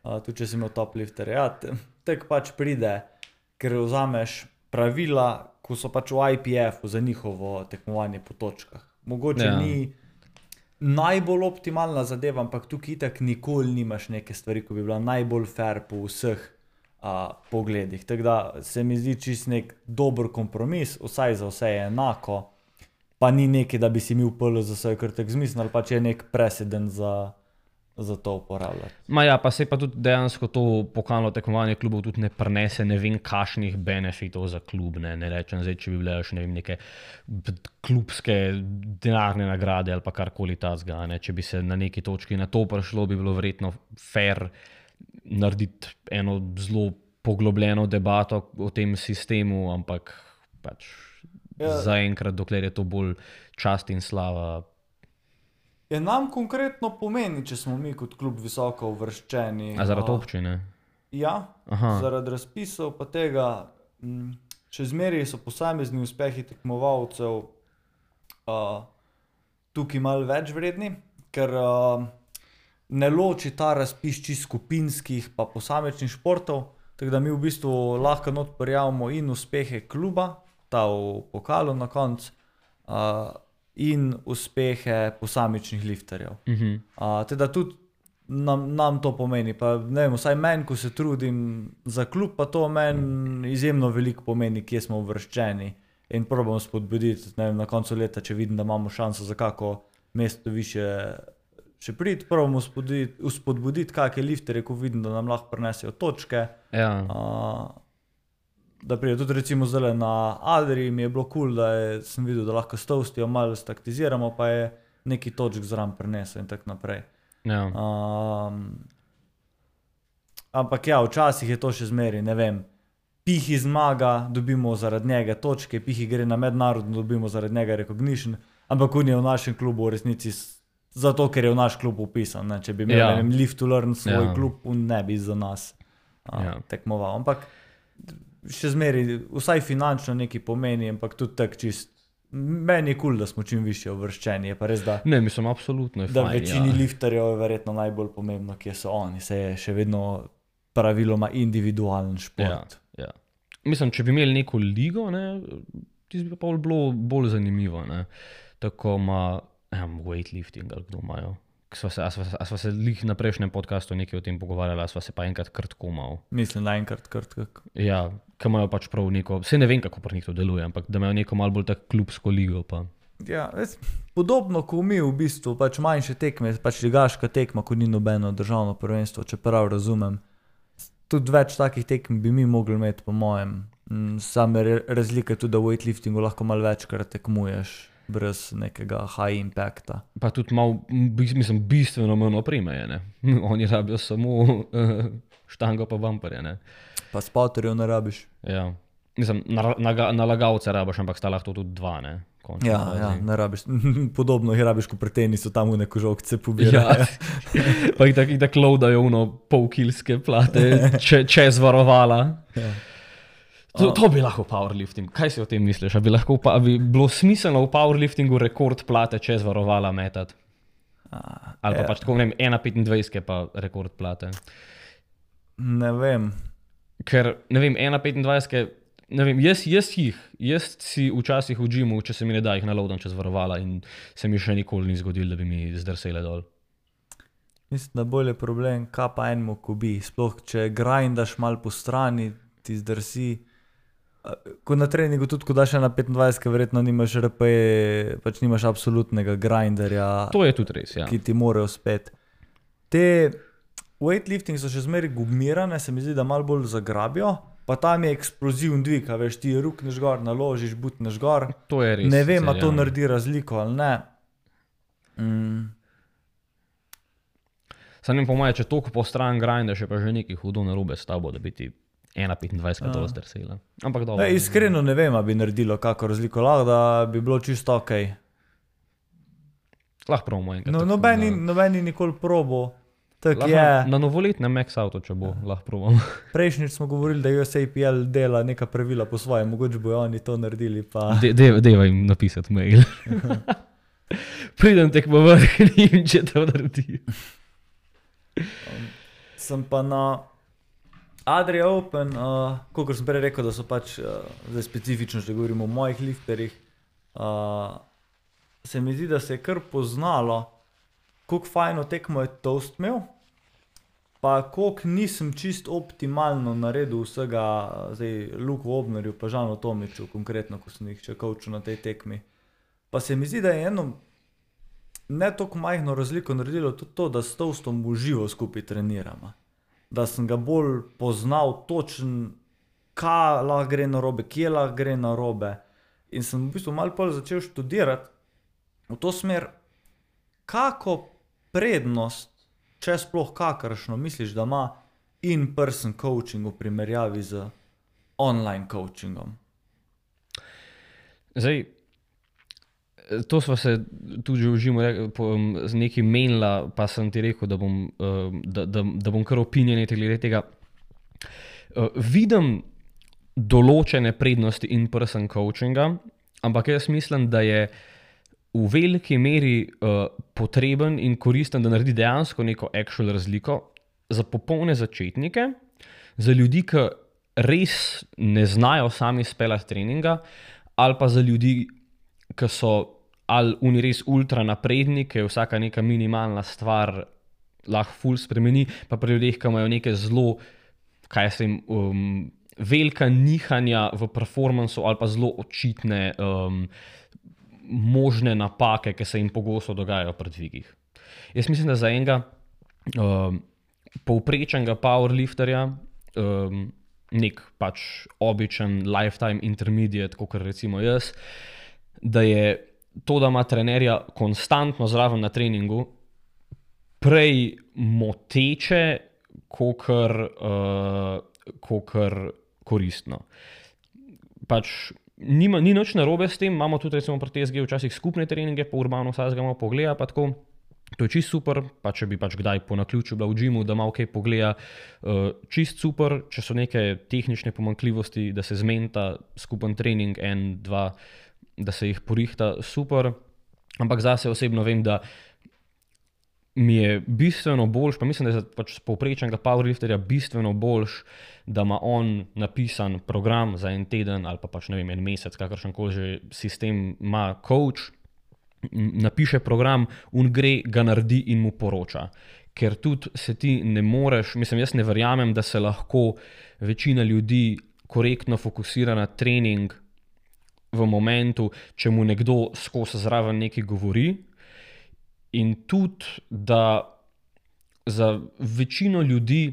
tudi če si imel top lifterje. Ja, tek pač pride, ker vzameš pravila, ko so pač v IPF-u za njihovo tekmovanje po točkah. Mogoče ni najbolj optimalna zadeva, ampak tukaj itak nikoli nimaš neke stvari, ko bi bila najbolj fair po vseh pogledih. Tako da se mi zdi čist nek dober kompromis, vsaj za vse je enako, pa ni nekaj, da bi si mi upali za vse kar tak zmislil, ali pač je nek precedent za to uporabljati. Pa se pa tudi dejansko to pokalno tekmovanje klubov tudi ne prenese ne vem kakšnih benefitov za klub, ne rečem zdaj, če bi bile še ne vem neke klubske denarne nagrade ali pa karkoli tazga, ne, če bi se na neki točki na to prišlo, bi bilo verjetno fair narediti eno zelo poglobljeno debato o tem sistemu, ampak pač zaenkrat, dokler je to bolj čast in slava. Nam konkretno pomeni, če smo mi kot klub visoko uvrščeni. A zaradi občine? Ja, zaradi razpisov pa tega, še zmeri so posamezni uspehi tekmovalcev tukaj malo več vredni, ker ne loči ta razpis čisto skupinskih pa posamičnih športov, tako da mi v bistvu lahko not prijavimo in uspehe kluba, ta v pokalu na koncu, in uspehe posamičnih lifterjev. Teda tudi nam to pomeni, pa ne vem, vsaj meni, ko se trudim za klub, pa to meni izjemno veliko pomeni, kje smo uvrščeni in probam spodbuditi, ne vem, na koncu leta, če vidim, da imamo šanso za kako mesto više še priti, probam spodbuditi kakšne lifterje, ko vidim, da nam lahko prinesejo točke. Da pride tudi recimo zdaj na Adri, mi je bilo cool, da sem videl, da lahko s Toastijo malo staktiziramo, pa je neki točk zraven prinesel in tako naprej. Ampak ja, včasih je to še zmeri, ne vem, Pihi zmaga, dobimo zaradi njega točke, Pihi gre na mednarodno, dobimo zaradi njega recognition, ampak on je v našem klubu v resnici zato, ker je v naš klub upisan, ne? Če bi imel Live to Learn svoj klub, on ne bi za nas tekmoval, ampak še zmeri, vsaj finančno nekaj pomeni, ampak tudi tak čist, meni je cool, da smo čim više uvrščeni, je pa res, da ne, mislim, absolutno je fajn, da večini lifterjev je verjetno najbolj pomembno, kje so oni, se je še vedno praviloma individualen šport. Mislim, če bi imeli neko ligo, ne, tisto bi pa bilo bolj zanimivo, ne, tako weightlifting, ali kdo imajo. A sva se lih na prejšnjem podcastu nekaj o tem pogovarjala, sva se pa enkrat krtko malo. Mislim, da enkrat krtko. Ja, ki imajo pač prav neko, vse ne vem, kako pri njih to deluje, ampak da imajo neko malo bolj tak klubsko ligo pa. Ja, podobno kot mi v bistvu, pač manjše tekme, pač ligaška tekma, ko ni nobeno državno prvenstvo, če prav razumem. Tudi več takih tekm bi mi mogli imeti, po mojem. Same razlike tudi, da v weightliftingu lahko malo večkrat tekmuješ. Brez nekega high impacta. Pa tudi malo, mislim, bistveno manj opreme je, ne. Oni rabijo samo štango pa bumperje, ne. Pa spoterjev ne rabiš. Ja, Mislim, nalagalce rabiš, ampak sta lahko tudi dva, ne? Ja, ne rabiš. Podobno jih rabiš, ko pri tenisu tam v neko žogce pobirajo. Ja. Pa jih tako loadajo polkilske plate, čez varovala. Ja. To bi lahko powerlifting. Kaj si o tem misliš? Bi bilo smiselno v powerliftingu rekord plate čez varovala metati? Ali pa pač tako, ne vem, 1,25 pa rekord plate? Ne vem. Ker, ne vem, 1,25, ne vem, jaz si včasih v džimu, če se mi ne da, jih naloadam čez varovala in se mi še nikoli ni zgodilo, da bi mi zdrsele dol. Mislim, da bolj je problem, kaj pa enemu kubi. Sploh, če grindaš mal po strani, ti zdrsi. Ko na treningu tudi, ko daš na 25, verjetno nimaš RPE, pač nimaš absolutnega grinderja. To je tudi res, ja. Ki ti morajo spet. Te weightlifting so še zmeraj gumirane, se mi zdi, da malo bolj zagrabijo, pa tam je eksploziven dvig, a veš, ti rukneš gor, naložiš, butneš gor. To je res. Ne vem, a to naredi razliko ali ne. Sam po moje, če toliko po stran grindaš, je pa že nekaj hudo narobe s tabo, da bi ti 1,25 dol zdrsela. Ampak dobro. Iskreno ne vem, a bi naredilo kako razliko, lahko da bi bilo čisto okej. Lahko probamo enkrat. No, nobeni nikoli probo. Tak je. Na novoletnem Max Auto, če bo, lahko probamo. Prejšnjič smo govorili, da USAPL dela neka pravila po svoje, mogoče bojo oni to naredili, pa... Deva jim napisati mail. Pridem tekmo vrh, če to naredi. Sem pa na Adria Open, kolikor sem prej rekel, da so pač, zdaj specifično, če govorimo o mojih lifterjih, se mi zdi, da se je kar poznalo, koliko fajno tekmo je Toast imel, pa koliko nisem čist optimalno naredil vsega, zdaj Luku Obnerju, pa Žanu Tomiču, konkretno, ko sem jih še coachil na tej tekmi. Pa se mi zdi, da je eno ne toliko majhno razliko naredilo tudi to, da s Toastom v živo skupaj treniramo. Da sem ga bolj poznal točen, kaj lahko gre narobe, kje lahko gre narobe. In sem v bistvu malo bolj začel študirati v to smer, kako prednost, če sploh kakršno, misliš, da ima in-person coaching v primerjavi z online coachingom? Zdaj, to sva se tudi že v žimu z nekim menila, pa sem ti rekel, da bom kar opinionate glede tega. Vidim določene prednosti in-person coachinga, ampak jaz mislim, da je v veliki meri potreben in koristen, da naredi dejansko neko actual razliko za popolne začetnike, za ljudi, ki res ne znajo sami speljati treninga, ali pa za ljudi, ki so ali oni res ultra napredni, ki je vsaka neka minimalna stvar lahko ful spremeni, pa pri ljudeh, ki imajo neke zelo, velika nihanja v performansu ali pa zelo očitne možne napake, ki se jim pogosto dogajajo pri dvigih. Jaz mislim, da za enega povprečnega powerlifterja, nek pač običen lifetime intermediate, kakor recimo jaz, da je to, da ima trenerja konstantno zraven na treningu, prej moteče, kakor koristno. Pač ni nič narobe s tem, imamo tudi recimo pri TSG včasih skupne treninge, po urbano vsakega malo pogleda, pa tako. To je čist super, pa če bi pač kdaj po naključju bila v džimu, da malo kaj pogleda, čist super, če so neke tehnične pomanjkljivosti, da se zmenita skupen trening, 1, 2, da se jih porihta, super, ampak zase osebno vem, da mi je bistveno boljš, pa mislim, da je pač povprečnega powerlifterja bistveno boljš, da ima on napisan program za en teden ali pa pač ne vem, en mesec, kakršenkoli že sistem ima coach, napiše program, on gre, ga naredi in mu poroča. Ker tudi se ti ne moreš, mislim, jaz ne verjamem, da se lahko večina ljudi korektno fokusira na trening v momentu, če mu nekdo skozi zraven nekaj govori, in tudi, da za večino ljudi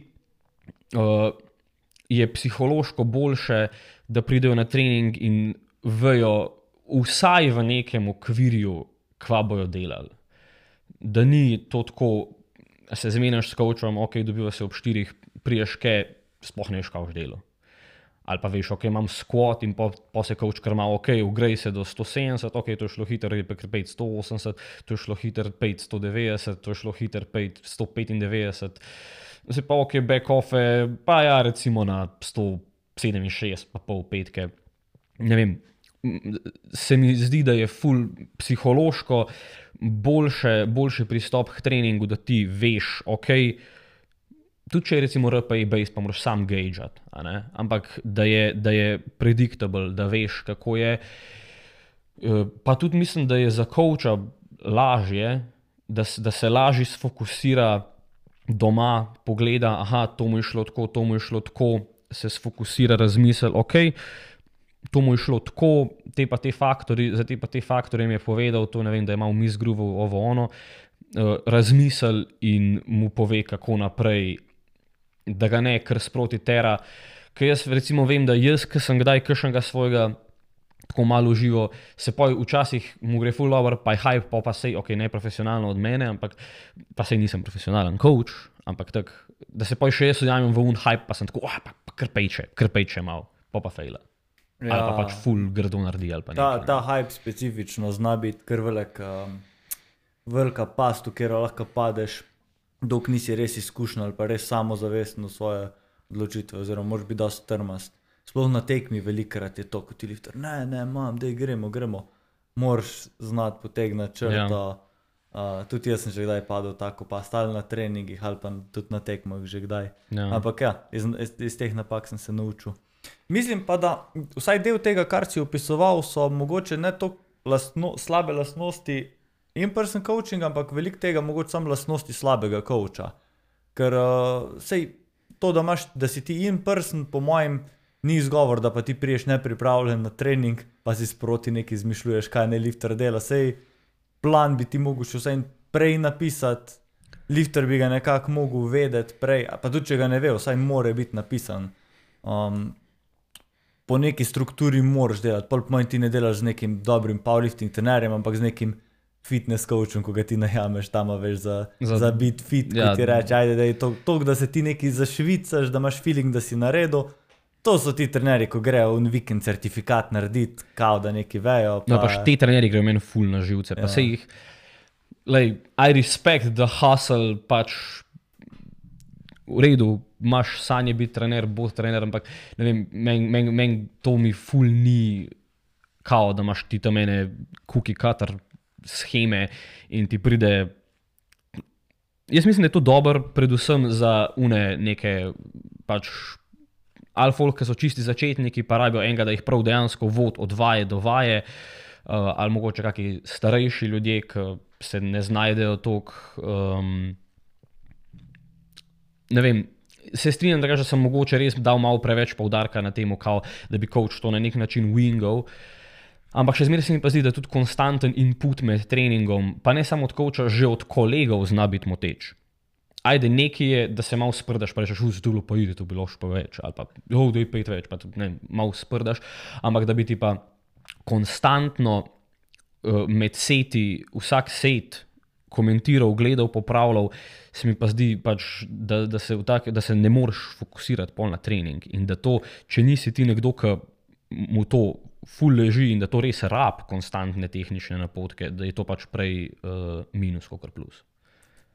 je psihološko boljše, da pridejo na trening in vejo vsaj v nekem okvirju, kva bojo delali. Da ni to tako, se zmeniš s coachom, ok, dobiva se ob 4, priješ kaj, sploh ne veš, kaj boš delal. Ali pa veš, ok, imam squat in po se coach kar malo, ok, ugrej se do 170, ok, to je šlo hiter, je pa kar pejt 180, to je šlo hiter pejt 190, to je šlo hiter pejt 195. Zdaj pa ok, back off, pa ja, recimo na 167, pa pol petke. Ne vem, se mi zdi, da je ful psihološko boljši pristop k treningu, da ti veš, ok, tudi če je recimo RPE base, pa moraš sam gageat, ampak da je predictable, da veš, kako je. Pa tudi mislim, da je za coacha lažje, da se lažje sfokusira doma, pogleda, aha, to mu je šlo tako, se sfokusira, razmisel, ok, to mu je šlo tako, za te faktorje mi je povedal, to ne vem, da je malo misgroovil ovo ono, razmisel in mu pove, kako naprej, da ga ne kar sproti tera. Ker jaz recimo vem, da jaz, ki sem kdaj kakšnega svojega tako malo živo, se pa včasih mu gre ful dobro, pa je hype, pa sej, ok, neprofesionalno od mene, ampak pa sej nisem profesionalen coach, ampak tak, da se pa še jaz ujamem v hype, pa sem tako, pa krpejče malo, pa fejla. Ja. Ali pa pač ful grdo naredi, ali pa nekaj. Ta hype specifično zna biti kar velika past, v katero lahko padeš, dok nisi res izkušen ali pa res samozavesten v svoje odločitve, oziroma moraš biti dosti trmast. Sploh na tekmi velikrat je to, kot ti lifter, ne, dej gremo. Moraš znati potegnati črto. Ja. Tudi jaz sem že kdaj padel tako, pa stali na treningih ali pa tudi na tekmah že kdaj. Ja. Ampak ja, iz teh napak sem se naučil. Mislim pa, da vsaj del tega, kar si opisoval, so mogoče ne toliko slabe lastnosti in-person coaching, ampak veliko tega mogoče samo lastnosti slabega coacha. Ker sej to, da si ti in-person, po mojem, ni izgovor, da pa ti priješ nepripravljen na trening, pa si sproti nekaj izmišljuješ, kaj ne lifter dela. Sej plan bi ti mogel še vsaj prej napisati, lifter bi ga nekako mogel vedeti prej, pa tudi če ga ne ve, vsaj more biti napisan. Po neki strukturi moraš delati, pol po mojem ti ne delaš z nekim dobrim powerlifting trenerjem, ampak z nekim fitness coachom, ko ga ti najameš tam, veš, za biti fit, ja, ko ti reče, ajde, da je to, da se ti nekaj zašvicaš, da imaš feeling, da si naredil. To so ti trenerji, ko grejo v vikend certifikat narediti, kao da neki vejo. Pa... No, pač ti trenerji grejo meni ful na živce, pa se jih, I respect the hustle, pač v redu, imaš sanje biti trener, bod trener, ampak ne vem, meni to mi ful ni kao, da imaš ti tam mene cookie cutter scheme in ti pride. Jaz mislim, da je to dobro, predvsem za neke pač alfolk, ki so čisti začetniki, pa rabijo enega, da jih prav dejansko vod od vaje do vaje, ali mogoče kakšni starejši ljudje, ki se ne znajdejo toliko. Ne vem, se strinjam, da sem mogoče res dal malo preveč poudarka na temu, kao, da bi coach to na nek način wingal, ampak še zmeraj se mi pa zdi, da tudi konstanten input med treningom, pa ne samo od coacha, že od kolegov zna biti moteč. Ajde, nekaj je, da se malo sprdaš, pa rečeš, zdolo pa ide, to bi lahko pa več, ali pa, da je 5 več, pa tudi, ne, malo sprdaš, ampak da bi ti pa konstantno med seti, vsak set komentiral, gledal, popravljal, se mi pa zdi, pač, da se ne moreš fokusirati pol na trening in da to, če nisi ti nekdo, ki mu to ful leži in da to res rab konstantne tehnične napotke, da je to pač prej minus kakor plus.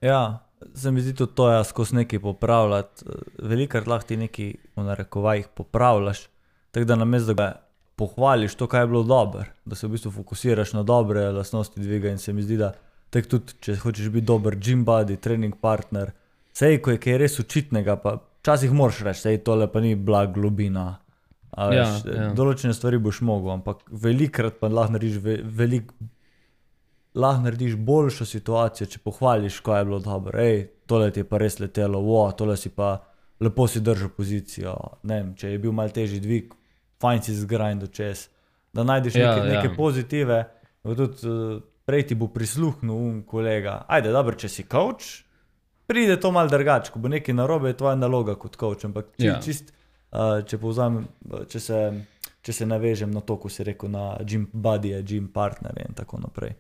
Ja, se mi zdi tudi to, skozi nekaj popravljati. Velikrat lahko ti nekaj v narekovajih popravljaš, tako da namesto da ga pohvališ to, kaj je bilo dobro, da se v bistvu fokusiraš na dobre lastnosti dviga in se mi zdi, da tako tudi, če hočeš biti dober gym buddy, trening partner, sej, ko je kaj res očitnega, pa včasih moraš reči, sej, tole pa ni bila globina. Ja. Določene stvari boš mogel, ampak velikrat pa lahko narediš boljšo situacijo, če pohvališ, ko je bilo dobro. Tole ti je pa res letelo, tole si pa lepo si držal pozicijo. Ne vem, če je bil malo težji dvig, fajn si zgrindal čez, da najdeš neke pozitive, tudi prej ti bo prisluhnil kolega. Ajde, dobro, če si coach, pride to malo drugače, ko bo nekaj narobe, je tvoja naloga kot coach, ampak če povzamem, če se navežem na to, ko si rekel, na gym buddy, gym partner in tako naprej.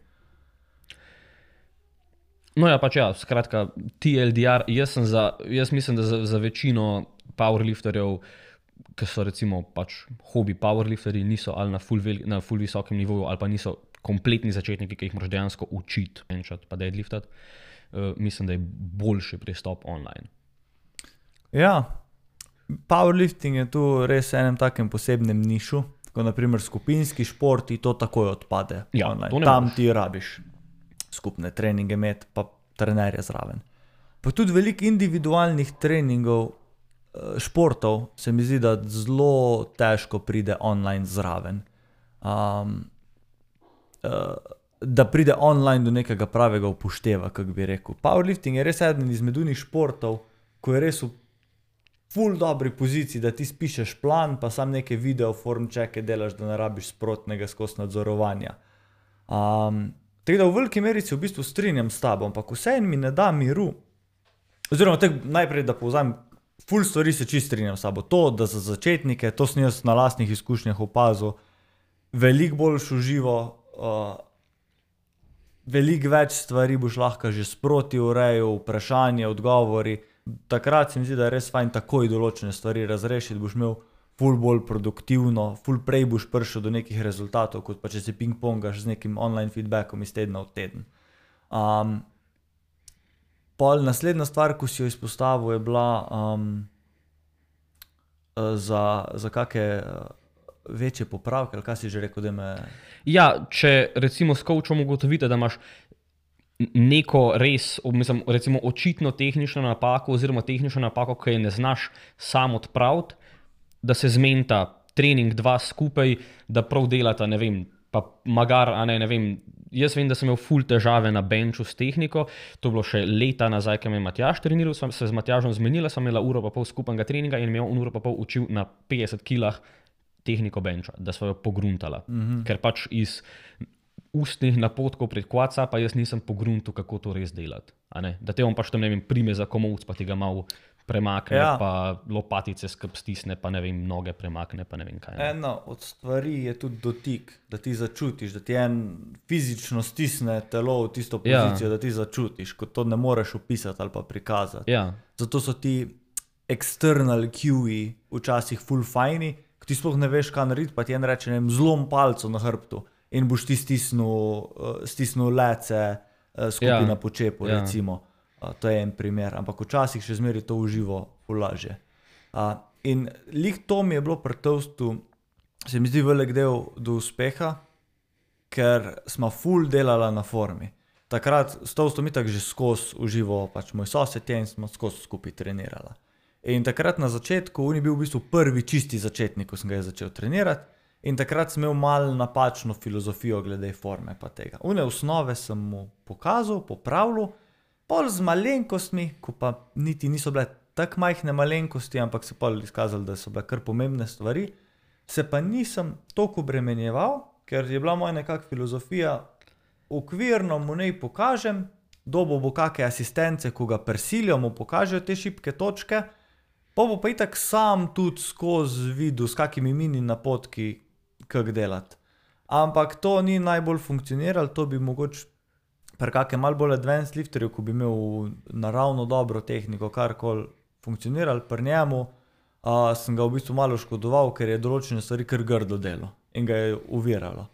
No ja, pač ja, skratka, TLDR, jaz mislim, da za večino powerlifterjev ki so recimo pač hobi powerlifterji, niso ali na ful visokem nivoju, ali pa niso kompletni začetniki, ki jih moraš dejansko učiti, benčati pa deadliftati, mislim, da je boljši pristop online. Ja, powerlifting je tu res enem takem posebnem nišu, kot naprimer skupinski športi, to takoj odpade online. Tam ti rabiš skupne treninge imeti, pa trenerje zraven. Pa tudi veliko individualnih treningov, športov, se mi zdi, da zelo težko pride online zraven. Da pride online do nekega pravega upošteva, kako bi rekel. Powerlifting je res eden izmed unih športov, ko je res v ful dobri poziciji, da ti spišeš plan, pa sam neke video form checke delaš, da ne rabiš sprotnega skozi nadzorovanja. Tako da v veliki meri se v bistvu strinjam s tabo, ampak vseeno mi ne da miru. Oziroma, najprej, da povzamem, ful stvari se čisto strinjam s tabo. To, da za začetnike, to sem jaz na lastnih izkušnjah opazil, veliko boljš v živo, veliko več stvari boš lahko že sproti urejal, vprašanje, odgovori. Takrat se mi zdi, da je res fajn takoj določene stvari razrešiti, boš imel ful bolj produktivno, ful prej boš prišel do nekih rezultatov, kot pa če se ping-pongaš z nekim online feedbackom iz tedna v teden. Pol naslednja stvar, ko si jo izpostavil, je bila za kakšne večje popravke, ali kaj si že rekel, da me... Ja, če recimo s coachom ugotovite, da imaš neko res, mislim, recimo očitno tehnično napako oziroma tehnično napako, ki je ne znaš sam odpraviti, da se zmenita trening dva skupaj, da prav delata, ne vem, pa magar, ne vem, jaz vem, da sem imel ful težave na benču s tehniko, to je bilo še leta nazaj, ko me je Matjaž treniral, sem se z Matjažem zmenila, sem imela uro pa pol skupnega treninga in me je uro pa pol učil na 50 kilah tehniko benča, da sva jo pogruntala, ker pač iz ustnih napotkov pred kvaca, pa jaz nisem pogruntil, kako to res delati. Da te on pač tam, ne vem, prime za komolc, pa ti ga malo premakne, pa lopatice skrb stisne, pa ne vem, noge premakne, pa ne vem kaj. Ena od stvari je tudi dotik, da ti začutiš, da ti en fizično stisne telo v tisto pozicijo, da ti začutiš, kot to ne moreš opisati ali pa prikazati. Zato so ti external cueji včasih ful fajni, ko ti sploh ne veš, kaj narediti, pa ti en reče, ne vem, zlom palco na hrbtu. In boš ti stisnil lece skupaj na počepu, recimo. To je en primer, ampak včasih še zmeri to uživo lažje. In lih to mi je bilo pri Toastu, se mi zdi velik del do uspeha, ker smo ful delala na formi. Takrat s Toastom itak že skozi uživo, pač moj sosed je in smo skozi skupaj trenirala. In takrat na začetku, on je bil v bistvu prvi čisti začetnik, ko sem ga začel trenirati. In takrat sem imel malo napačno filozofijo glede forme pa tega. Une osnove sem mu pokazal, popravil, pol z malenkostmi, ko pa niti niso bile tako majhne malenkosti, ampak se pol izkazali, da so bile kar pomembne stvari, se pa nisem toliko obremenjeval, ker je bila moja nekak filozofija, okvirno mu nej pokažem, dobo bo kakšne asistence, ko ga prisilijo, mu pokažejo te šibke točke, pa bo pa itak sam tudi skozi videl, s kakimi mini napotki, kako delati. Ampak to ni najbolj funkcioniralo, to bi mogoče pri kakšnem malo bolj advanced lifterju, ko bi imel naravno dobro tehniko, karkoli funkcioniralo, pri njemu sem ga v bistvu malo škodoval, ker je določene stvari kar grdo delo in ga je uviralo.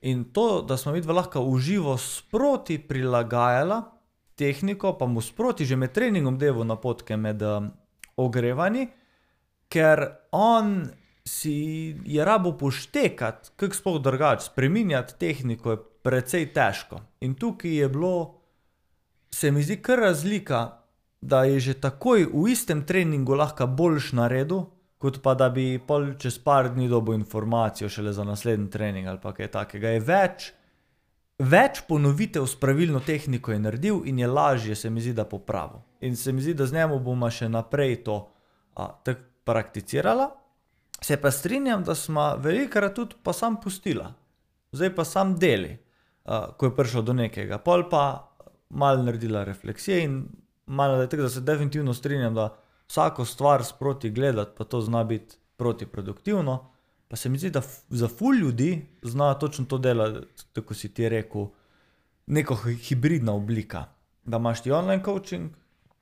In to, da smo vidva lahko uživo sproti prilagajala tehniko, pa mu sproti že med treningom delal napotke med ogrevanji, ker on si je rabo poštekati, kako sploh drugače, spreminjati tehniko je precej težko. In tukaj je bilo, se mi zdi kar razlika, da je že takoj v istem treningu lahko boljš naredil, kot pa da bi pol čez par dni dobil informacijo šele za naslednji trening ali pa kaj takega. Je več ponovitev s pravilno tehniko je naredil in je lažje, se mi zdi, da popravil. In se mi zdi, da z njemu bomo še naprej to tako prakticirala. Se pa strinjam, da smo velikokrat tudi pa sam pustila. Zdaj pa sam deli, ko je prišel do nekega. Pol pa malo naredila refleksije in malo da je tako, da se definitivno strinjam, da vsako stvar sproti gledati, pa to zna biti protiproduktivno. Pa se mi zdi, da za ful ljudi zna točno to delati, tako si ti rekel, neko hibridna oblika. Da imaš ti online coaching,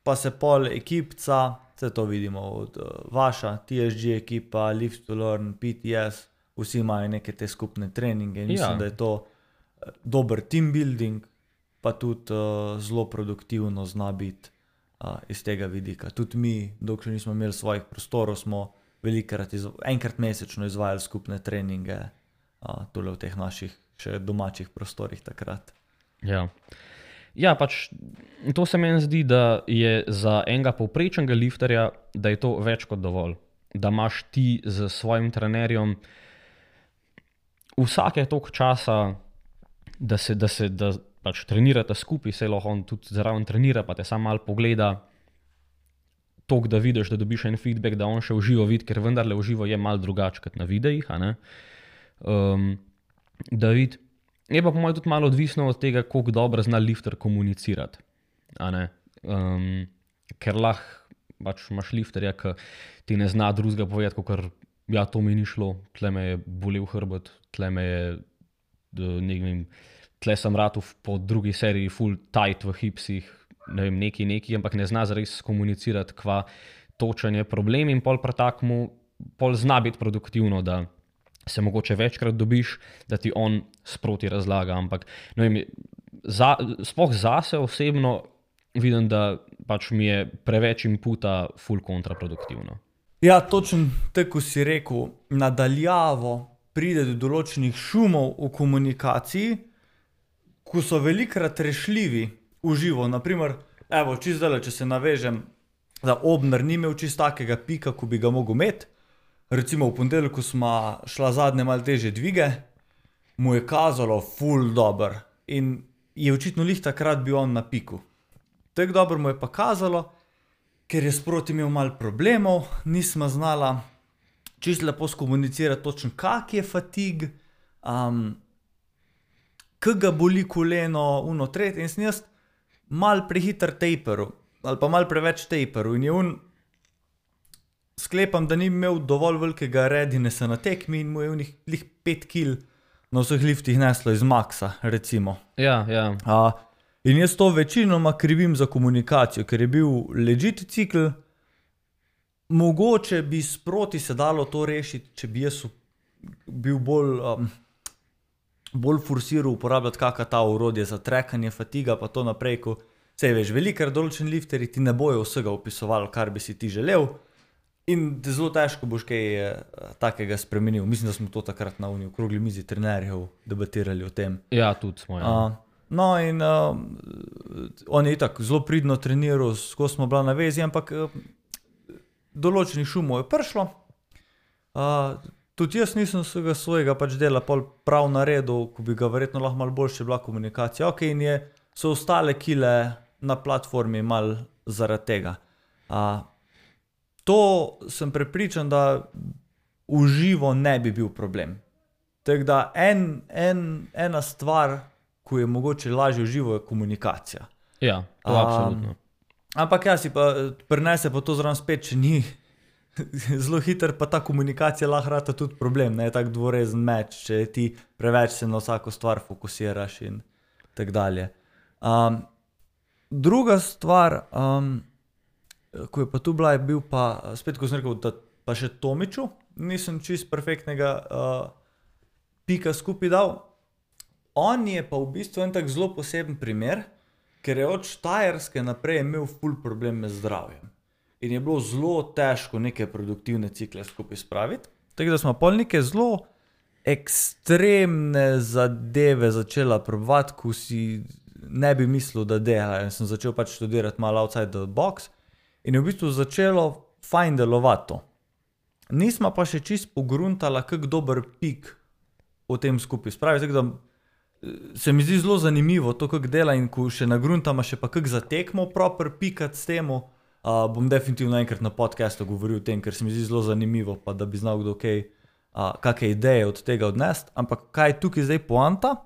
pa se pol ekipca, vse to vidimo od vaša, TSG ekipa, Live to Learn, PTS, vsi imajo neke te skupne treninge in mislim, da je to dober team building, pa tudi zelo produktivno zna biti iz tega vidika. Tudi mi, dokler nismo imeli svojih prostorov, smo enkrat mesečno izvajali skupne treninge tole v teh naših še domačih prostorih takrat. Ja, pač to se meni zdi, da je za enega povprečnega lifterja, da je to več kot dovolj. Da imaš ti z svojim trenerjem vsake toliko časa, da pač trenirate skupaj, se lahko on tudi zraven trenira, pa te samo malo pogleda, toliko, da vidiš, da dobiš en feedback, da on še v živo vidi, ker vendarle v živo je malo drugače kot na videih, da vidi. Je pa po mojem tudi malo odvisno od tega, koliko dobro zna lifter komunicirati. Ker lahko pač imaš lifterja, ki ti ne zna drugega povedati, kakor ja, to mi ni šlo, tle me je bolel hrbet, tle me je, tle sem ratu po drugi seriji full tight v hipsih, ne vem, neki, ampak ne zna zares komunicirati, kva točen je problem in pol pretakmu, pol zna biti produktivno, da se mogoče večkrat dobiš, da ti on sproti razlaga, ampak ne vem, sploh zase osebno vidim, da pač mi je preveč inputa full kontraproduktivno. Ja, točno tako si rekel, nadaljavo pride do določenih šumov v komunikaciji, ko so velikrat rešljivi v živo. Naprimer, evo, čisto zdaj, če se navežem, da Obner ni imel čisto takega pika, ko bi ga mogel imeti. Recimo v ponedeljku smo šla zadnje malo težje dvige, mu je kazalo ful dober in je očitno lih takrat bil on na piku. Tako dobro mu je pa kazalo, ker je sproti imel malo problemov, nismo znala čisto lepo skomunicirati točno, kak je fatig, kak ga boli koleno, tret, in sem jaz malo prehiter taperu, ali pa malo preveč taperu in je sklepam, da ni imel dovolj velikega readinessa na tekmi in mu je lih 5 kil na vseh liftih neslo iz maksa, recimo. Ja. In jaz to večinoma krivim za komunikacijo, ker je bil legit cikl, mogoče bi sproti se dalo to rešiti, če bi jaz bil bolj forsiral uporabljati kakšna ta orodje za trekanje fatiga, pa to naprej, ko sej veš, velikrat določeni lifterji ti ne bojo vsega opisovali, kar bi si ti želel, in zelo težko boš kaj takega spremenil. Mislim, da smo to takrat na okrogli mizi trenerjev debatirali o tem. Ja, tudi smo. No in on je itak zelo pridno treniral, ko smo bila na vezi, ampak določenih šumov je prišlo. Tudi jaz nisem svojega pač dela pol prav naredil, ko bi ga verjetno lahko malo boljše bila komunikacija. Ok, in so ostale kile na platformi malo zaradi tega. To sem prepričan, da v živo ne bi bil problem. Tako da ena stvar, ko je mogoče lažje v živo, je komunikacija. Ja, to absolutno. Ampak ja, si pa prinese pa to zraven spet, če ni zelo hiter, pa ta komunikacija lahko rata tudi problem, ne, tak dvorezen meč, če ti preveč se na vsako stvar fokusiraš in tak dalje. Druga stvar, ko je pa tu bila, je bil pa, spet ko sem rekel, da pa še Tomiču nisem čist perfektnega pika skupaj dal. On je pa v bistvu en tak zelo poseben primer, ker je od Štajerske naprej imel ful probleme z zdravjem. In je bilo zelo težko neke produktivne cikle skupaj spraviti. Tako da smo pol neke zelo ekstremne zadeve začela probovati, ko si ne bi mislil, da dela. In sem začel pač študirati malo outside the box in je v bistvu začelo fajn delovati to. Nismo pa še čist pogruntala, kak dober pik v tem skupaj spraviti. Tako da se mi zdi zelo zanimivo to, kak dela, in ko še nagruntama še pa kak zatekmo proper pikat s temu, bom definitivno enkrat na podcastu govoril o tem, ker se mi zdi zelo zanimivo, pa da bi znal kdo kakve ideje od tega odnesti. Ampak kaj je tukaj zdaj poanta?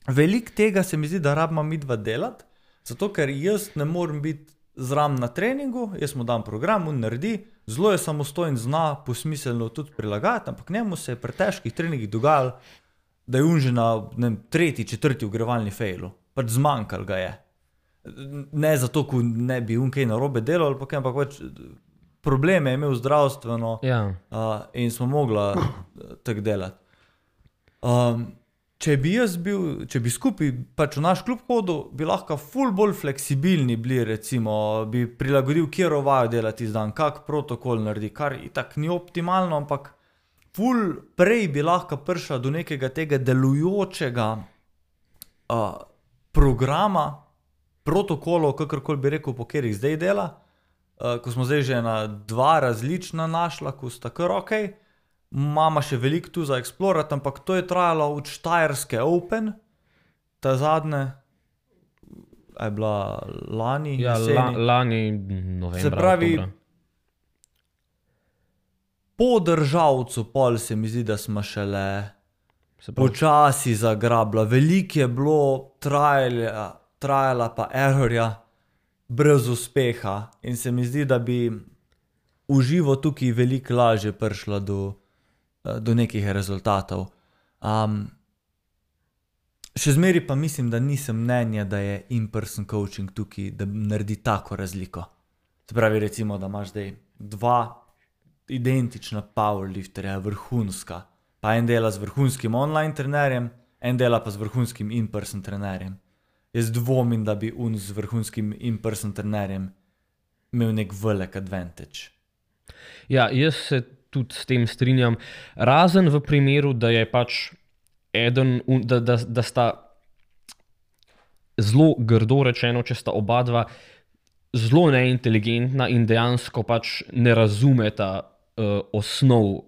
Veliko tega se mi zdi, da rabimo midva delati, zato ker jaz ne morem biti zraven na treningu, jaz mu dam program, on naredi, zelo je samostojen, zna posmiselno tudi prilagajati, ampak njemu se je pri težkih treningih dogajalo, da je on že na 3., 4. ogrevalni fejlu. Pač zmanjkal ga je. Ne zato, ko ne bi kaj narobe delal, ampak pač probleme je imel zdravstveno in smo mogla tako delati. Če bi skupaj pač v naš klub hodil, bi lahko ful bolj fleksibilni bili, recimo, bi prilagodil, kjero vajo delati dan, kak protokol naredi, kar itak ni optimalno, ampak ful prej bi lahko prišla do nekega tega delujočega programa, protokolov, kakorkoli bi rekel, po katerih zdaj dela, ko smo zdaj že na 2 različna našla, ko sta kar okej. Mama še veliko tu za eksplorati, ampak to je trajalo od Štajerske Open, ta zadnje, je bila lani, lani novembra, se pravi, oktobra. Po državcu pol se mi zdi, da smo šele počasi zagrabla. Veliko je bilo trajala pa errorja brez uspeha in se mi zdi, da bi uživo tukaj veliko lažje prišla do nekih rezultatov. Še zmeri pa mislim, da nisem mnenja, da je in-person coaching tukaj, da naredi tako razliko. Se pravi, recimo, da imaš zdaj 2 identična powerlifterja, vrhunska, pa en dela z vrhunskim online trenerjem, en dela pa z vrhunskim in-person trenerjem. Jaz dvomim, da bi z vrhunskim in-person trenerjem imel nek velik advantage. Ja, jaz se tudi s tem strinjam, razen v primeru, da je pač da sta zelo grdo rečeno, če sta oba dva zelo neinteligentna in dejansko pač ne razumeta osnov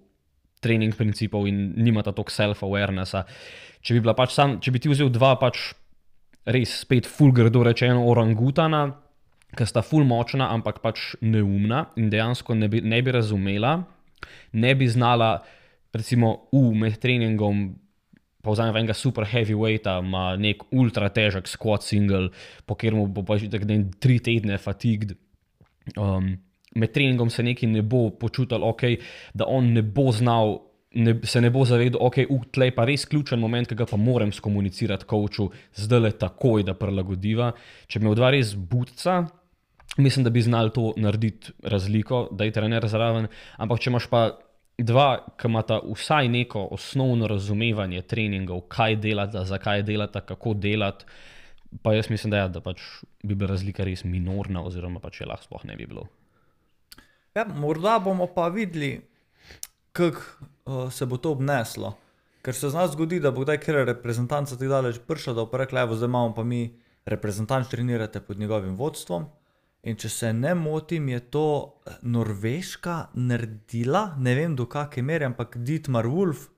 trening principov in nimata toliko self-awarenessa. Če bi ti vzel 2 pač res spet ful grdo rečeno orangutana, ki sta ful močna, ampak pač neumna in dejansko ne bi razumela, ne bi znala, recimo, med treningom, pa vzamem enega super heavyweighta, ima nek ultra težek squat single, po kateremu bo pač 3 tedne fatigued. Med treningom se nekaj ne bo počutil, da on ne bo znal, se ne bo zavedal, tlej pa res ključen moment, ki ga pa moram skomunicirati coachu, zdajle takoj, da prilagodiva. Če bi imel 2 res budca, mislim, da bi znali to narediti razliko, da je trener zraven, ampak če imaš pa 2, ki imata vsaj neko osnovno razumevanje treningov, kaj delata, zakaj delata, kako delati, pa jaz mislim, da pač bi bila razlika res minorna, oziroma pač je lahko sploh ne bi bilo. Ja, morda bomo pa videli, kako se bo to obneslo. Ker se z nas zgodi, da bo kdaj kjer reprezentanca tako daleč prišla, da bo pa rekla, zdaj imamo pa mi reprezentanč trenirate pod njegovim vodstvom. In če se ne motim, je to Norveška naredila, ne vem do kakšne mere, ampak Dietmar Wolf,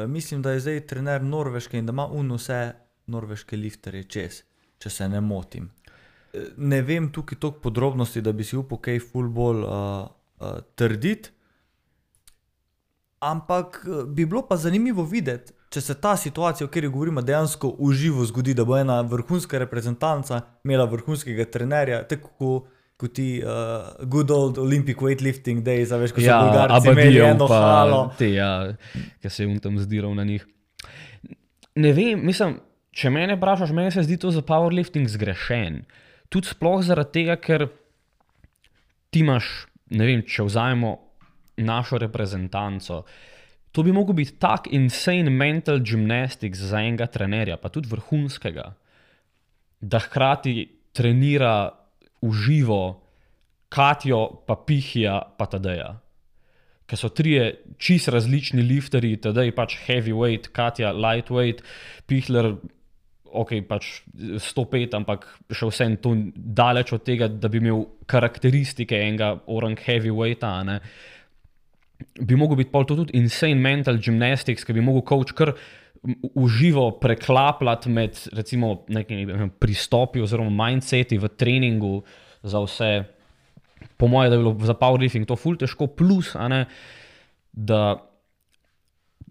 mislim, da je zdaj trener Norveške in da ima vse norveške lifterje čez, če se ne motim. Ne vem tukaj toliko podrobnosti, da bi si upal kaj ful bolj trditi, ampak bi bilo pa zanimivo videti, če se ta situacija, o kateri govorimo, dejansko v živo zgodi, da bo ena vrhunska reprezentanca imela vrhunskega trenerja, tako kot ti good old Olympic weightlifting days, veš, ko so Bolgarci imeli eno halo. Ki se je tam zdiral na njih. Ne vem, mislim, če mene vprašaš, meni se zdi to za powerlifting zgrešen. Tudi sploh zaradi tega, ker ti imaš, ne vem, če vzajemo našo reprezentanco, to bi mogel biti tak insane mental gymnastics za enega trenerja, pa tudi vrhunskega, da hkrati trenira v živo Katjo, pa Pihija, pa Tadeja. Ker so 3 čist različni lifterji, Tadej pač heavyweight, Katja lightweight, Pihler, pač 105, ampak še vsem to daleč od tega, da bi imel karakteristike enega orang heavyweighta, ne. Bi mogel biti pol to tudi insane mental gymnastics, ki bi mogel coach kar v živo preklapljati med, recimo, nekimi pristopi oziroma mindseti v treningu za vse. Po moje, da bi bilo za powerlifting to ful težko, plus, da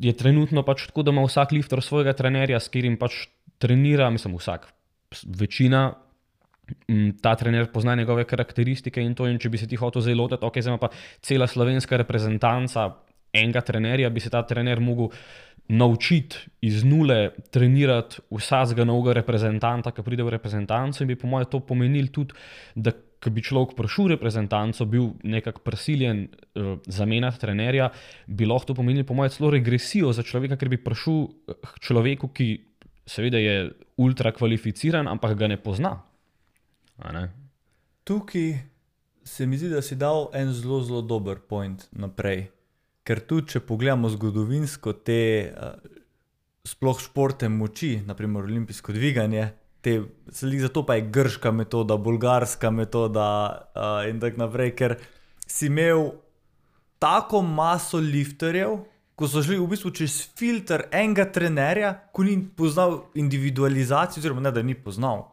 je trenutno pač tako, da ima vsak lifter svojega trenerja, s katerim pač trenira, mislim večina, ta trener pozna njegove karakteristike in to, in če bi se ti hotel zdaj lotiti, zdaj ima pa cela slovenska reprezentanca enega trenerja, bi se ta trener mogel naučiti iz nule trenirati vsakega novega reprezentanta, ki pride v reprezentanco, in bi po mojem to pomenil tudi, da ko bi človek prišel v reprezentanco, bil nekako prisiljen zamenjati trenerja, bi lahko to pomenil po mojem celo regresijo za človeka, ker bi prišel k človeku, ki seveda je ultra kvalificiran, ampak ga ne pozna. A ne? Tukaj se mi zdi, da si dal en zelo, zelo dober point naprej. Ker tudi, če pogledamo zgodovinsko te sploh športe moči, naprimer olimpijsko dviganje, zato pa je grška metoda, bolgarska metoda in tako naprej, ker si imel tako maso lifterjev, ko so šli v bistvu čez filter enega trenerja, ko ni poznal individualizacijo, oziroma ne, da ni poznal.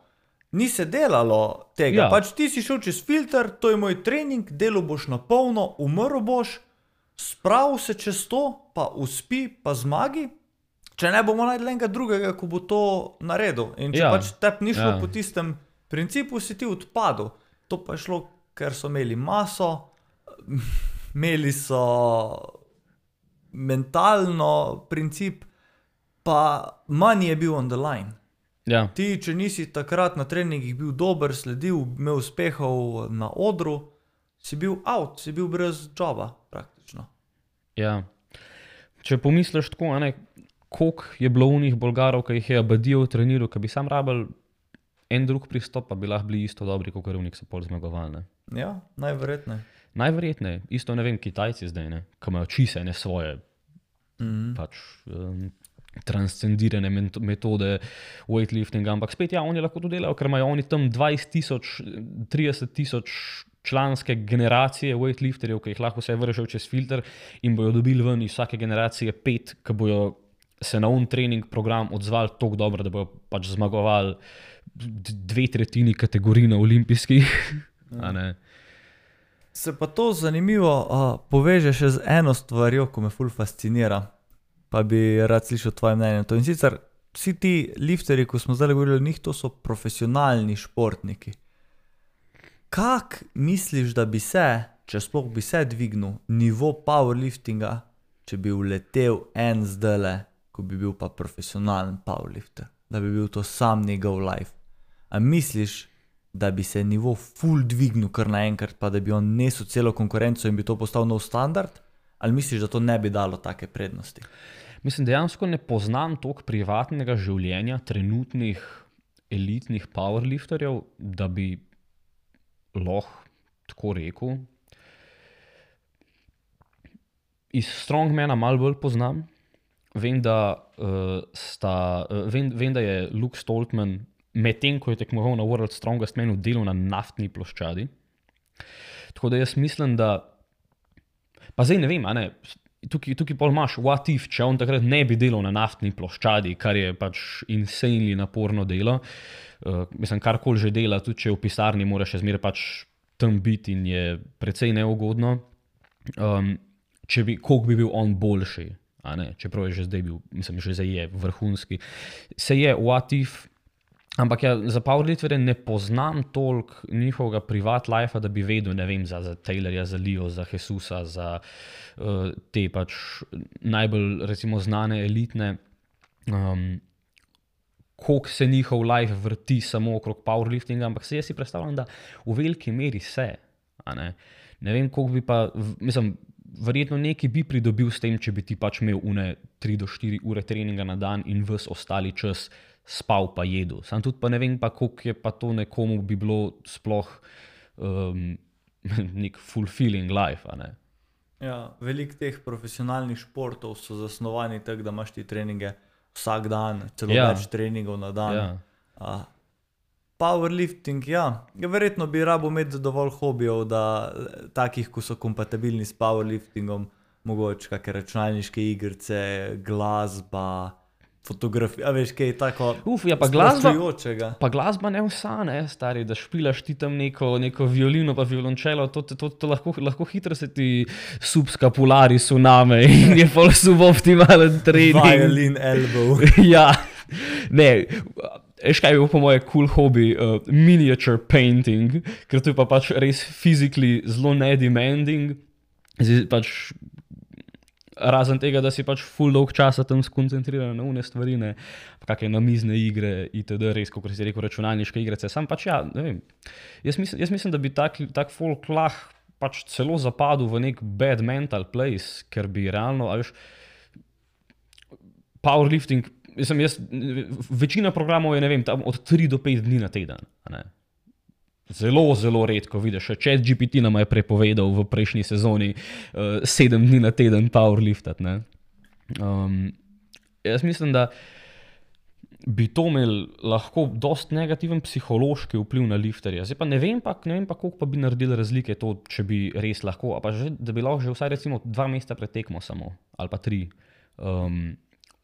Ni se delalo tega, pač ti si šel čez filter, to je moj trening, delal boš na polno, umrl boš, spravil se čez to, pa uspi, pa zmagi, če ne bomo najdli enega drugega, ko bo to naredil. In če pač tep ni šlo po tistem principu, si ti odpadel. To pa je šlo, ker so imeli maso, imeli so mentalno princip, pa manj je bil on the line. Ja. Ti, če nisi takrat na treningih bil dober, sledil, imel uspehov na odru, si bil out, si bil brez joba praktično. Ja. Če pomisliš tako, koliko je bilo unih Bolgarov, ki jih je Abadijev treniral, ki bi sam rabil en drug pristop, pa bi lahko bili isto dobri, kot unih so pol zmagovalne. Ja, najverjetneje. Najverjetneje. Isto ne vem, Kitajci zdaj, ki imajo čise ne svoje pač transcendirane metode weightliftinga, ampak spet oni lahko to delajo, ker imajo oni tam 20,000, 30,000 članske generacije weightlifterjev, ki jih lahko vse vržejo čez filter in bojo dobili ven iz vsake generacije 5, ki bojo se na trening program odzvali toliko dobro, da bojo pač zmagovali 2/3 kategorij na olimpijskih. Se pa to zanimivo poveže še z eno stvarjo, ko me ful fascinira, pa bi rad slišal tvoje mnenje. In sicer vsi ti lifterji, ko smo zdaj govorili o njih, to so profesionalni športniki. Kak misliš, da bi se, če sploh bi se dvignil nivo powerliftinga, če bi uletel en zdajle, ko bi bil pa profesionalen powerlifter, da bi bil to sam njegov life? A misliš, da bi se nivo ful dvignil kar naenkrat, pa da bi on nesel celo konkurenco in bi to postal nov standard? Ali misliš, da to ne bi dalo take prednosti? Mislim, dejansko ne poznam toliko privatnega življenja trenutnih elitnih powerlifterjev, da bi lahko tako rekel. Iz strongmana malo bolj poznam. Vem, da je Luke Stoltman medtem, ko je tekmoval na World Strongest Manu, delal na naftni ploščadi. Tako da jaz mislim, da pa zdaj ne vem, tukaj pol imaš what if, če on takrat ne bi delal na naftni ploščadi, kar je pač insanely naporno delo. Mislim, karkoli že dela, tudi če je v pisarni, mora še zmeraj pač tam biti in je precej neugodno. Koliko bi bil on boljši, čeprav je že zdaj bil, mislim, že zdaj je vrhunski. Se je what if, ampak ja, za powerlifterje ne poznam toliko njihovega privat life, da bi vedel, ne vem, za Taylorja, za Leo, za Jesusa, za te pač najbolj recimo znane elitne, koliko se njihov life vrti samo okrog powerliftinga, ampak jaz si predstavljam, da v veliki meri se. Ne vem, koliko bi pa, mislim, verjetno nekaj bi pridobil s tem, če bi ti pač imel 3 do 4 ure treninga na dan in ves ostali čas spal pa jedel. Sam tudi pa ne vem pa, koliko je pa to nekomu bi bilo sploh nek fulfilling life, Ja, veliko teh profesionalnih športov so zasnovani tako, da imaš ti treninge vsak dan, celo več treningov na dan. Powerlifting, verjetno bi rabo imeti dovolj hobijev, da takih, ko so kompatibilni s powerliftingom, mogoče kakšne računalniške igrice, glasba, fotografija, veš, kaj je tako sproščujočega. Pa glasba ne vsa, stari, da špilaš ti tam neko violino pa violončelo, to lahko hitro se ti subskapulari suname in je pol suboptimalen trening. Violin elbow. Ja, ne, veš kaj je po moje cool hobby, miniature painting, ker to je pa pač res physically zelo nedemanding, pač razen tega, da si pač full dolg časa tam skoncentriran na une stvari, ne, pa kakšne namizne igre, itd., res, kot si rekel, računalniške igrice. Sam pač ja, ne vem, jaz mislim, da bi tak folk lahko pač celo zapadel v nek bad mental place, ker bi realno, a veš, powerlifting, večina programov je, ne vem, tam od 3 do 5 dni na teden, ne. Zelo, zelo redko vidiš, ChatGPT nama je prepovedal v prejšnji sezoni 7 dni na teden powerliftat, ne. Jaz mislim, da bi to imel lahko dost negativen psihološki vpliv na lifterja. Zdaj pa ne vem pa, koliko pa bi naredili razlike to, če bi res lahko, a pa že, da bi lahko že vsaj recimo 2 meseca pred tekmo samo, ali pa 3,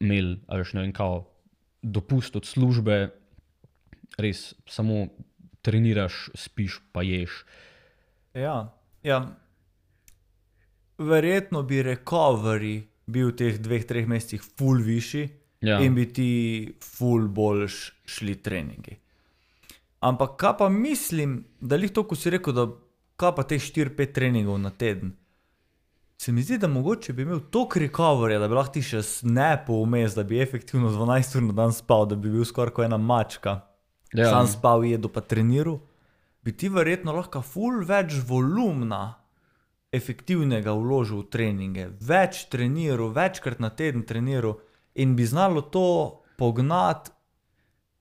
imel, ali ne vem, kao dopust od službe, res samo treniraš, spiš pa ješ. Ja. Verjetno bi recovery bil v teh 2-3 mesecih ful višji, in bi ti ful bolj šli treningi. Ampak kaj pa mislim, da lih to, ko si rekel, da kaj pa teh 4-5 treningov na teden, se mi zdi, da mogoče bi imel toliko recoveryja, da bi lahko ti še snapil vmes, da bi efektivno 12 ur na dan spal, da bi bil skoraj kot ena mačka. Sam spal, jedel pa treniral, bi ti verjetno lahko ful več volumna efektivnega vložil v treninge, več treniral, večkrat na teden treniral in bi znalo to pognati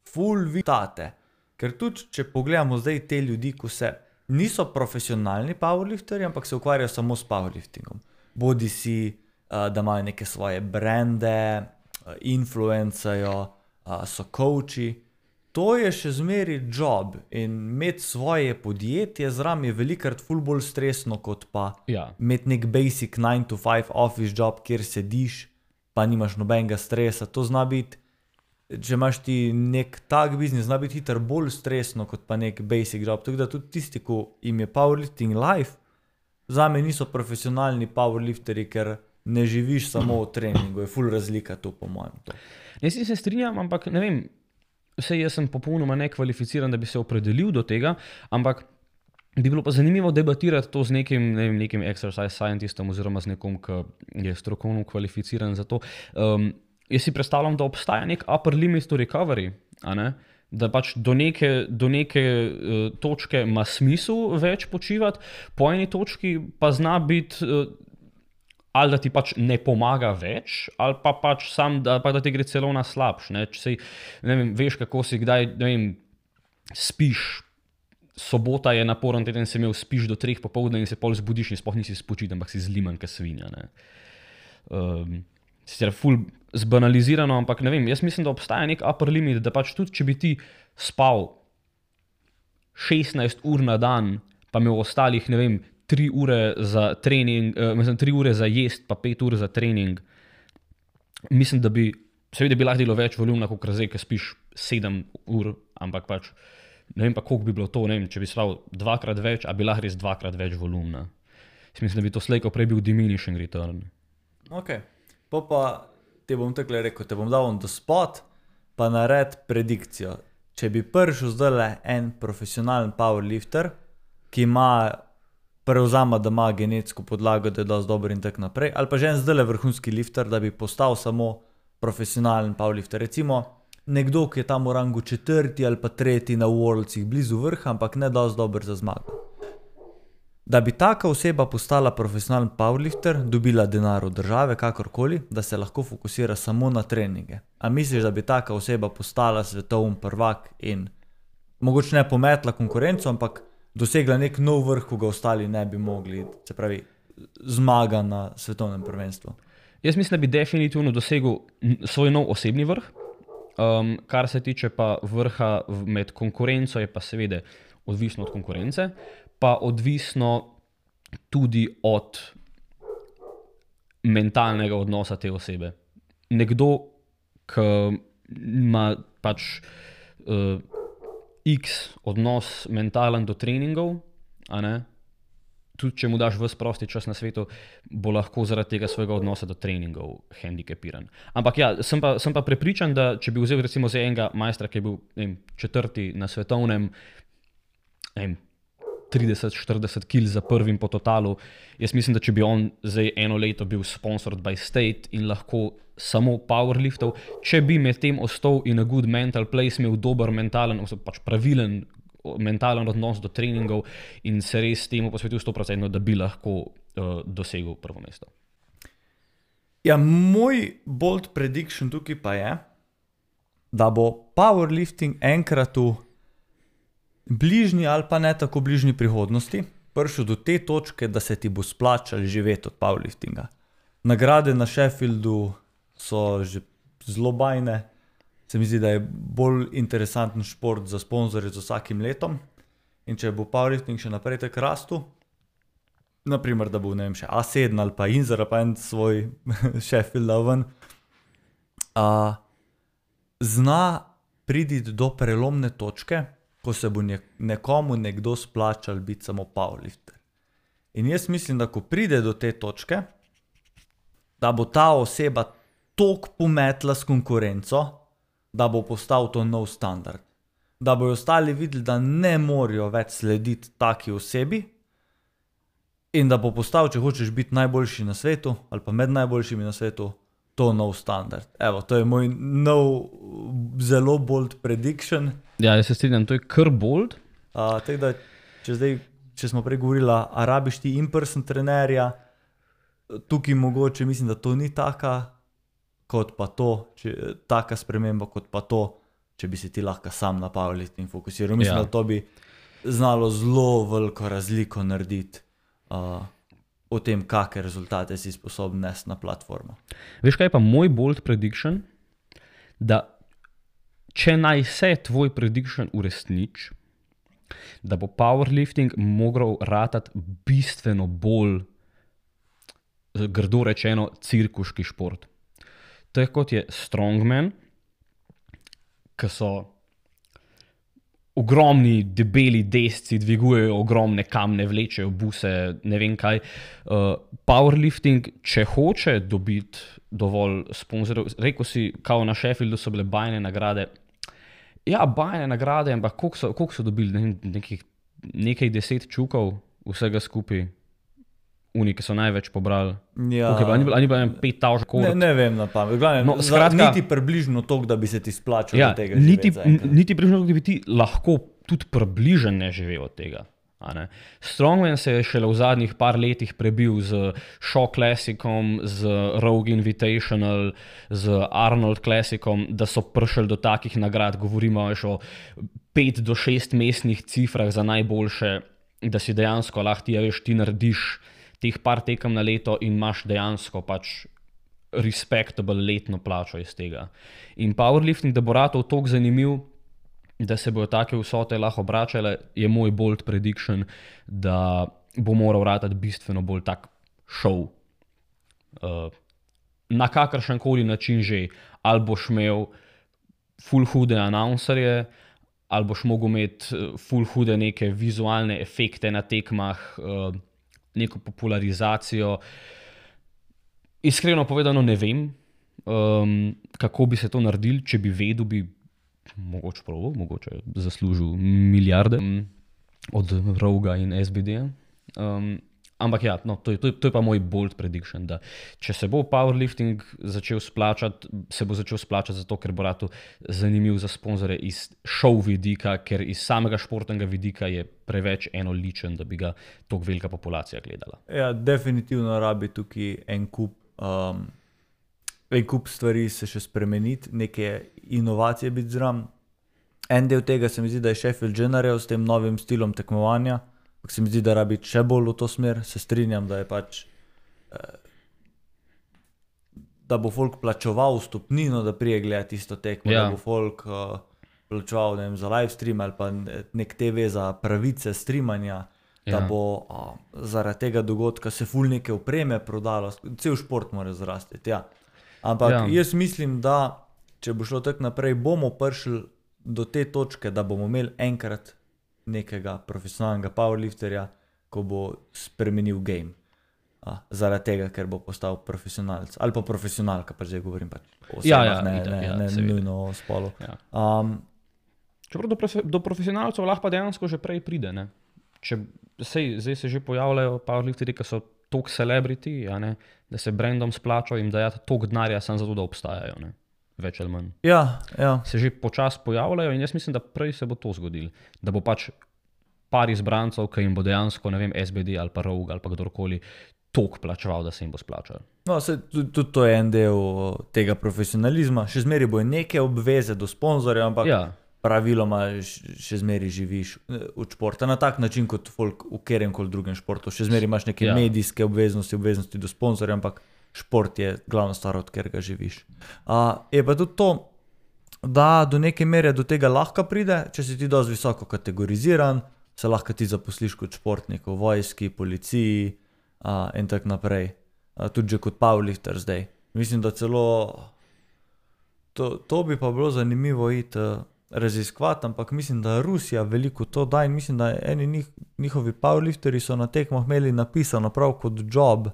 ful vitate. Ker tudi, če pogledamo zdaj te ljudi, ko se niso profesionalni powerlifterji, ampak se ukvarjajo samo s powerliftingom. Bodi si, da imajo neke svoje brande, influencajo, so coachi. To je še zmeri job in imeti svoje podjetje zraven je velikokrat ful bolj stresno, kot pa imeti nek basic 9 to 5 office job, kjer sediš, pa nimaš nobenega stresa. To zna biti, če imaš ti nek tak biznis, zna biti hitro bolj stresno, kot pa nek basic job. Tako da tudi tisti, ko jim je powerlifting life, zame niso profesionalni powerlifteri, ker ne živiš samo v treningu, je ful razlika to po mojem. Jaz se strinjam, ampak ne vem, vsej jaz sem popolnoma nekvalificiran, da bi se opredelil do tega, ampak bi bilo pa zanimivo debatirati to z nekim exercise scientistom oziroma z nekom, ki je strokovno kvalificiran za to. Jaz si predstavljam, da obstaja nek upper limit to recovery, a ne? Da pač do neke točke ima smisel več počivati, po eni točki pa zna biti ali da ti pač ne pomaga več, ali pa pač sam, da ti gre celo na slabš, ne? Če ne vem, veš, kako si kdaj, ne vem, spiš, sobota je naporen teden, si imel spiš do 3 popoldne in se pol zbudiš in sploh nisi spočit, ampak si zliman kot svinja, ne. Sicer ful zbanalizirano, ampak ne vem, jaz mislim, da obstaja nek upper limit, da pač tudi, če bi ti spal 16 ur na dan, pa imel ostalih, ne vem, 3 ure za trening, 3 ure za jest, pa 5 ur za trening. Mislim, da bi, seveda bi lahko delo več volumna, kot zdaj, ki spiš 7 ur, ampak pač, ne vem pa, koliko bi bilo to, ne vem, če bi spal 2-krat več, a bi lahko res 2-krat več volumna. Mislim, da bi to slejko prej bil diminishing return. Ok, pa te bom takole rekel, te bom dal on the spot, pa nared predikcijo. Če bi prišel zdajle en profesionalen powerlifter, ki ima prevzama, da ima genetsko podlago, da je dosti dober in tak naprej, ali pa že en zdajle vrhunski lifter, da bi postal samo profesionalen powerlifter. Recimo nekdo, ki je tam v rangu 4. ali pa 3. na Worldsih, blizu vrha, ampak ne dosti dober za zmago. Da bi taka oseba postala profesionalen powerlifter, dobila denar od države, kakorkoli, da se lahko fokusira samo na treninge. A misliš, da bi taka oseba postala svetovni prvak in mogoče ne pometla konkurenco, ampak dosegla nek nov vrh, ko ga ostali ne bi mogli, se pravi, zmaga na svetovnem prvenstvu? Jaz mislim, da bi definitivno dosegel svoj nov osebni vrh. Kar se tiče pa vrha med konkurenco, je pa seveda odvisno od konkurence, pa odvisno tudi od mentalnega odnosa te osebe. Nekdo, ki ima pač X odnos mentalen do treningov, a ne, tudi če mu daš ves prosti čas na svetu, bo lahko zaradi tega svojega odnosa do treningov hendikepiran. Ampak ja, sem pa prepričan, da če bi vzel recimo za enega majstra, ki je bil 4. na svetovnem, 30-40 kil za prvim po totalu. Jaz mislim, da če bi on zdaj eno leto bil sponsored by state in lahko samo powerliftal, če bi med tem ostal in a good mental place, imel dober mentalen, pač pravilen mentalen odnos do treningov in se res temu posvetil 100%, da bi lahko dosegel prvo mesto. Ja, moj bold prediction tukaj pa je, da bo powerlifting enkrat v bližnji ali pa ne tako bližnji prihodnosti prišel do te točke, da se ti bo splačalo živeti od powerliftinga. Nagrade na Sheffieldu so že zelo bajne. Se mi zdi, da je bolj interesanten šport za sponzorje z vsakim letom. In če bo powerlifting še naprej tako rastel, naprimer, da bo, ne vem, še A7 ali pa Inzer, pa en svoj Sheffield ven, zna priti do prelomne točke, ko se bo nekomu nekdo splačal biti samo powerlifter. In jaz mislim, da ko pride do te točke, da bo ta oseba toliko pometla s konkurenco, da bo postal to nov standard. Da bojo ostali videli, da ne morajo več slediti taki osebi in da bo postal, če hočeš biti najboljši na svetu ali pa med najboljšimi na svetu, to nov standard. Evo, to je moj nov, zelo bold prediction. Ja, jaz se strinjam, to je kar bold. Tako da, če smo prej govorili, a rabiš ti in-person trenerja, tukaj mogoče mislim, da to ni taka sprememba, kot pa to, če bi se ti lahko sam na powerlifting fokusiral. Mislim, da to bi znalo zelo veliko razliko narediti o tem, kakšne rezultate si sposoben nesti na platformo. Veš, kaj je pa moj bold prediction? Da če naj se tvoj prediction uresniči, da bo powerlifting mogel ratati bistveno bolj, grdo rečeno, cirkuški šport. To je kot je strongman, ki so ogromni, debeli desci, dvigujejo ogromne kamne, vlečejo buse, ne vem kaj. Powerlifting, če hoče dobiti dovolj sponzorjev, rekel si, kao na Sheffieldu so bile bajne nagrade. Ja, bajne nagrade, ampak koliko so dobili? Nekaj 10 čukov vsega skupaj. Oni, ki so največ pobrali. Ja. Okay, ni bilo 5,000 korov. Ne vem na pamet. Niti približno toliko, da bi se ti splačal od tega živeti. Niti približno toliko, da bi ti lahko tudi približen ne živel od tega. Strongman se je šele v zadnjih par letih prebil z Shaw Classicom, z Rogue Invitational, z Arnold Classicom, da so prišli do takih nagrad, govorimo o 5 do 6 mestnih cifrah za najboljše, da si dejansko lahko ti narediš teh par tekem na leto in imaš dejansko pač respectable letno plačo iz tega. In powerlifting, da bo ratov toliko zanimiv, da se bojo take vsote lahko obračale, je moj bold prediction, da bo moral ratati bistveno bolj tak show. Na kakršenkoli način že. Ali boš imel ful hude announcerje, ali boš mogel imeti ful hude neke vizualne efekte na tekmah, neko popularizacijo. Iskreno povedano ne vem, kako bi se to naredili, če bi vedel, bi mogoče zaslužil milijarde od Roga in SBD. Ampak ja, no, to je pa moj bold prediction, da če se bo powerlifting začel splačati, se bo začel splačati zato, ker bo rado zanimiv za sponzorje iz show vidika, ker iz samega športnega vidika je preveč enoličen, da bi ga toliko velika populacija gledala. Ja, definitivno rabi tukaj en kup stvari se še spremeniti, neke inovacije biti zraven. En del tega se mi zdi, da je Sheffield že naredil s tem novim stilom tekmovanja. Se mi zdi, da rabi še bolj v to smer, se strinjam, da je pač, da bo folk plačeval vstopnino, da prije gledati isto tekmo, da bo folk plačeval, ne vem, za live stream ali pa nek TV za pravice streamanja, da bo zaradi tega dogodka se ful neke opreme prodalo, cel šport mora zrastiti, ja. Ampak jaz mislim, da če bo šlo tako naprej, bomo prišli do te točke, da bomo imeli enkrat nekega profesionalnega powerlifterja, ko bo spremenil game. Zaradi tega, ker bo postal profesionalc. Ali pa profesionalka, pa zdaj govorim pač o osebah, ne nujno o spolu. Čeprav do profesionalcev lahko pa dejansko že prej pride, ne? zdaj se že pojavljajo powerlifterji, ki so toliko celebrity, da se brandom splačajo jim dajati toliko denarja samo zato, da obstajajo. Ne? Več ali manj. Ja. Se že počasi pojavljajo in jaz mislim, da prej se bo to zgodilo. Da bo pač par izbrancov, ki jim bo dejansko, ne vem, SBD ali pa Rogue ali pa kdorkoli toliko plačeval, da se jim bo splačal. No, tudi to je en del tega profesionalizma. Še zmeraj bo neke obveze do sponzorja, ampak praviloma še zmeraj živiš od športa na tak način, kot folk v kateremkoli drugem športu. Še zmeraj imaš neke medijske obveznosti do sponzorja, ampak šport je glavna stvar, od katerega živiš. Je pa tudi to, da do neke mere do tega lahko pride, če si ti dosti visoko kategoriziran, se lahko ti zaposliš kot športnik v vojski, policiji in tako naprej. Tudi že kot powerlifter zdaj. Mislim, da celo to bi pa bilo zanimivo iti raziskovati, ampak mislim, da Rusija veliko to da in mislim, da eni njihovi powerlifteri so na tekmah imeli napisano prav kot job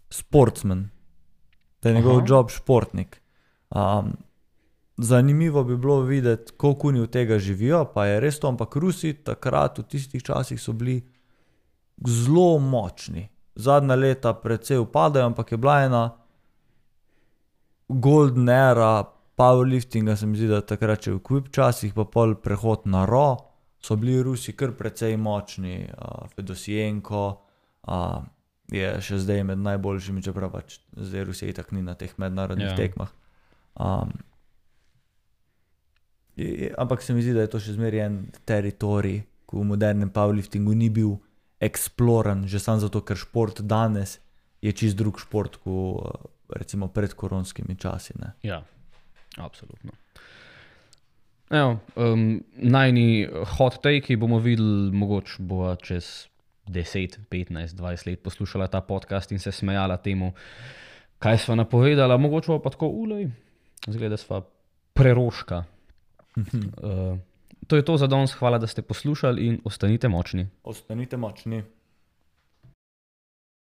sportsman. Da je njegov job športnik. Zanimivo bi bilo videti, koliko oni od tega živijo, pa je res to, ampak Rusi takrat v tistih časih so bili zelo močni. Zadnja leta precej upadajo, ampak je bila ena golden era powerliftinga, se mi zdi, da takrat še v Equip časih, pa pol prehod na Raw, so bili Rusi kar precej močni. Fedosienko je še zdaj med najboljšimi, čeprav pač zdaj Rusija itak ni na teh mednarodnih tekmah. Ampak se mi zdi, da je to še zmeraj en teritorij, ko v modernem powerliftingu ni bil eksploran, že samo zato, ker šport danes je čist drug šport, kot recimo pred koronskimi časi. Ne? Ja, absolutno. Najni hot take bomo videli, mogoče bo čez 10, 15, 20 let poslušala ta podcast in se smejala temu, kaj sva napovedala, mogoče bo pa tako zgleda sva preroška. To je to za danes, hvala, da ste poslušali in ostanite močni. Ostanite močni.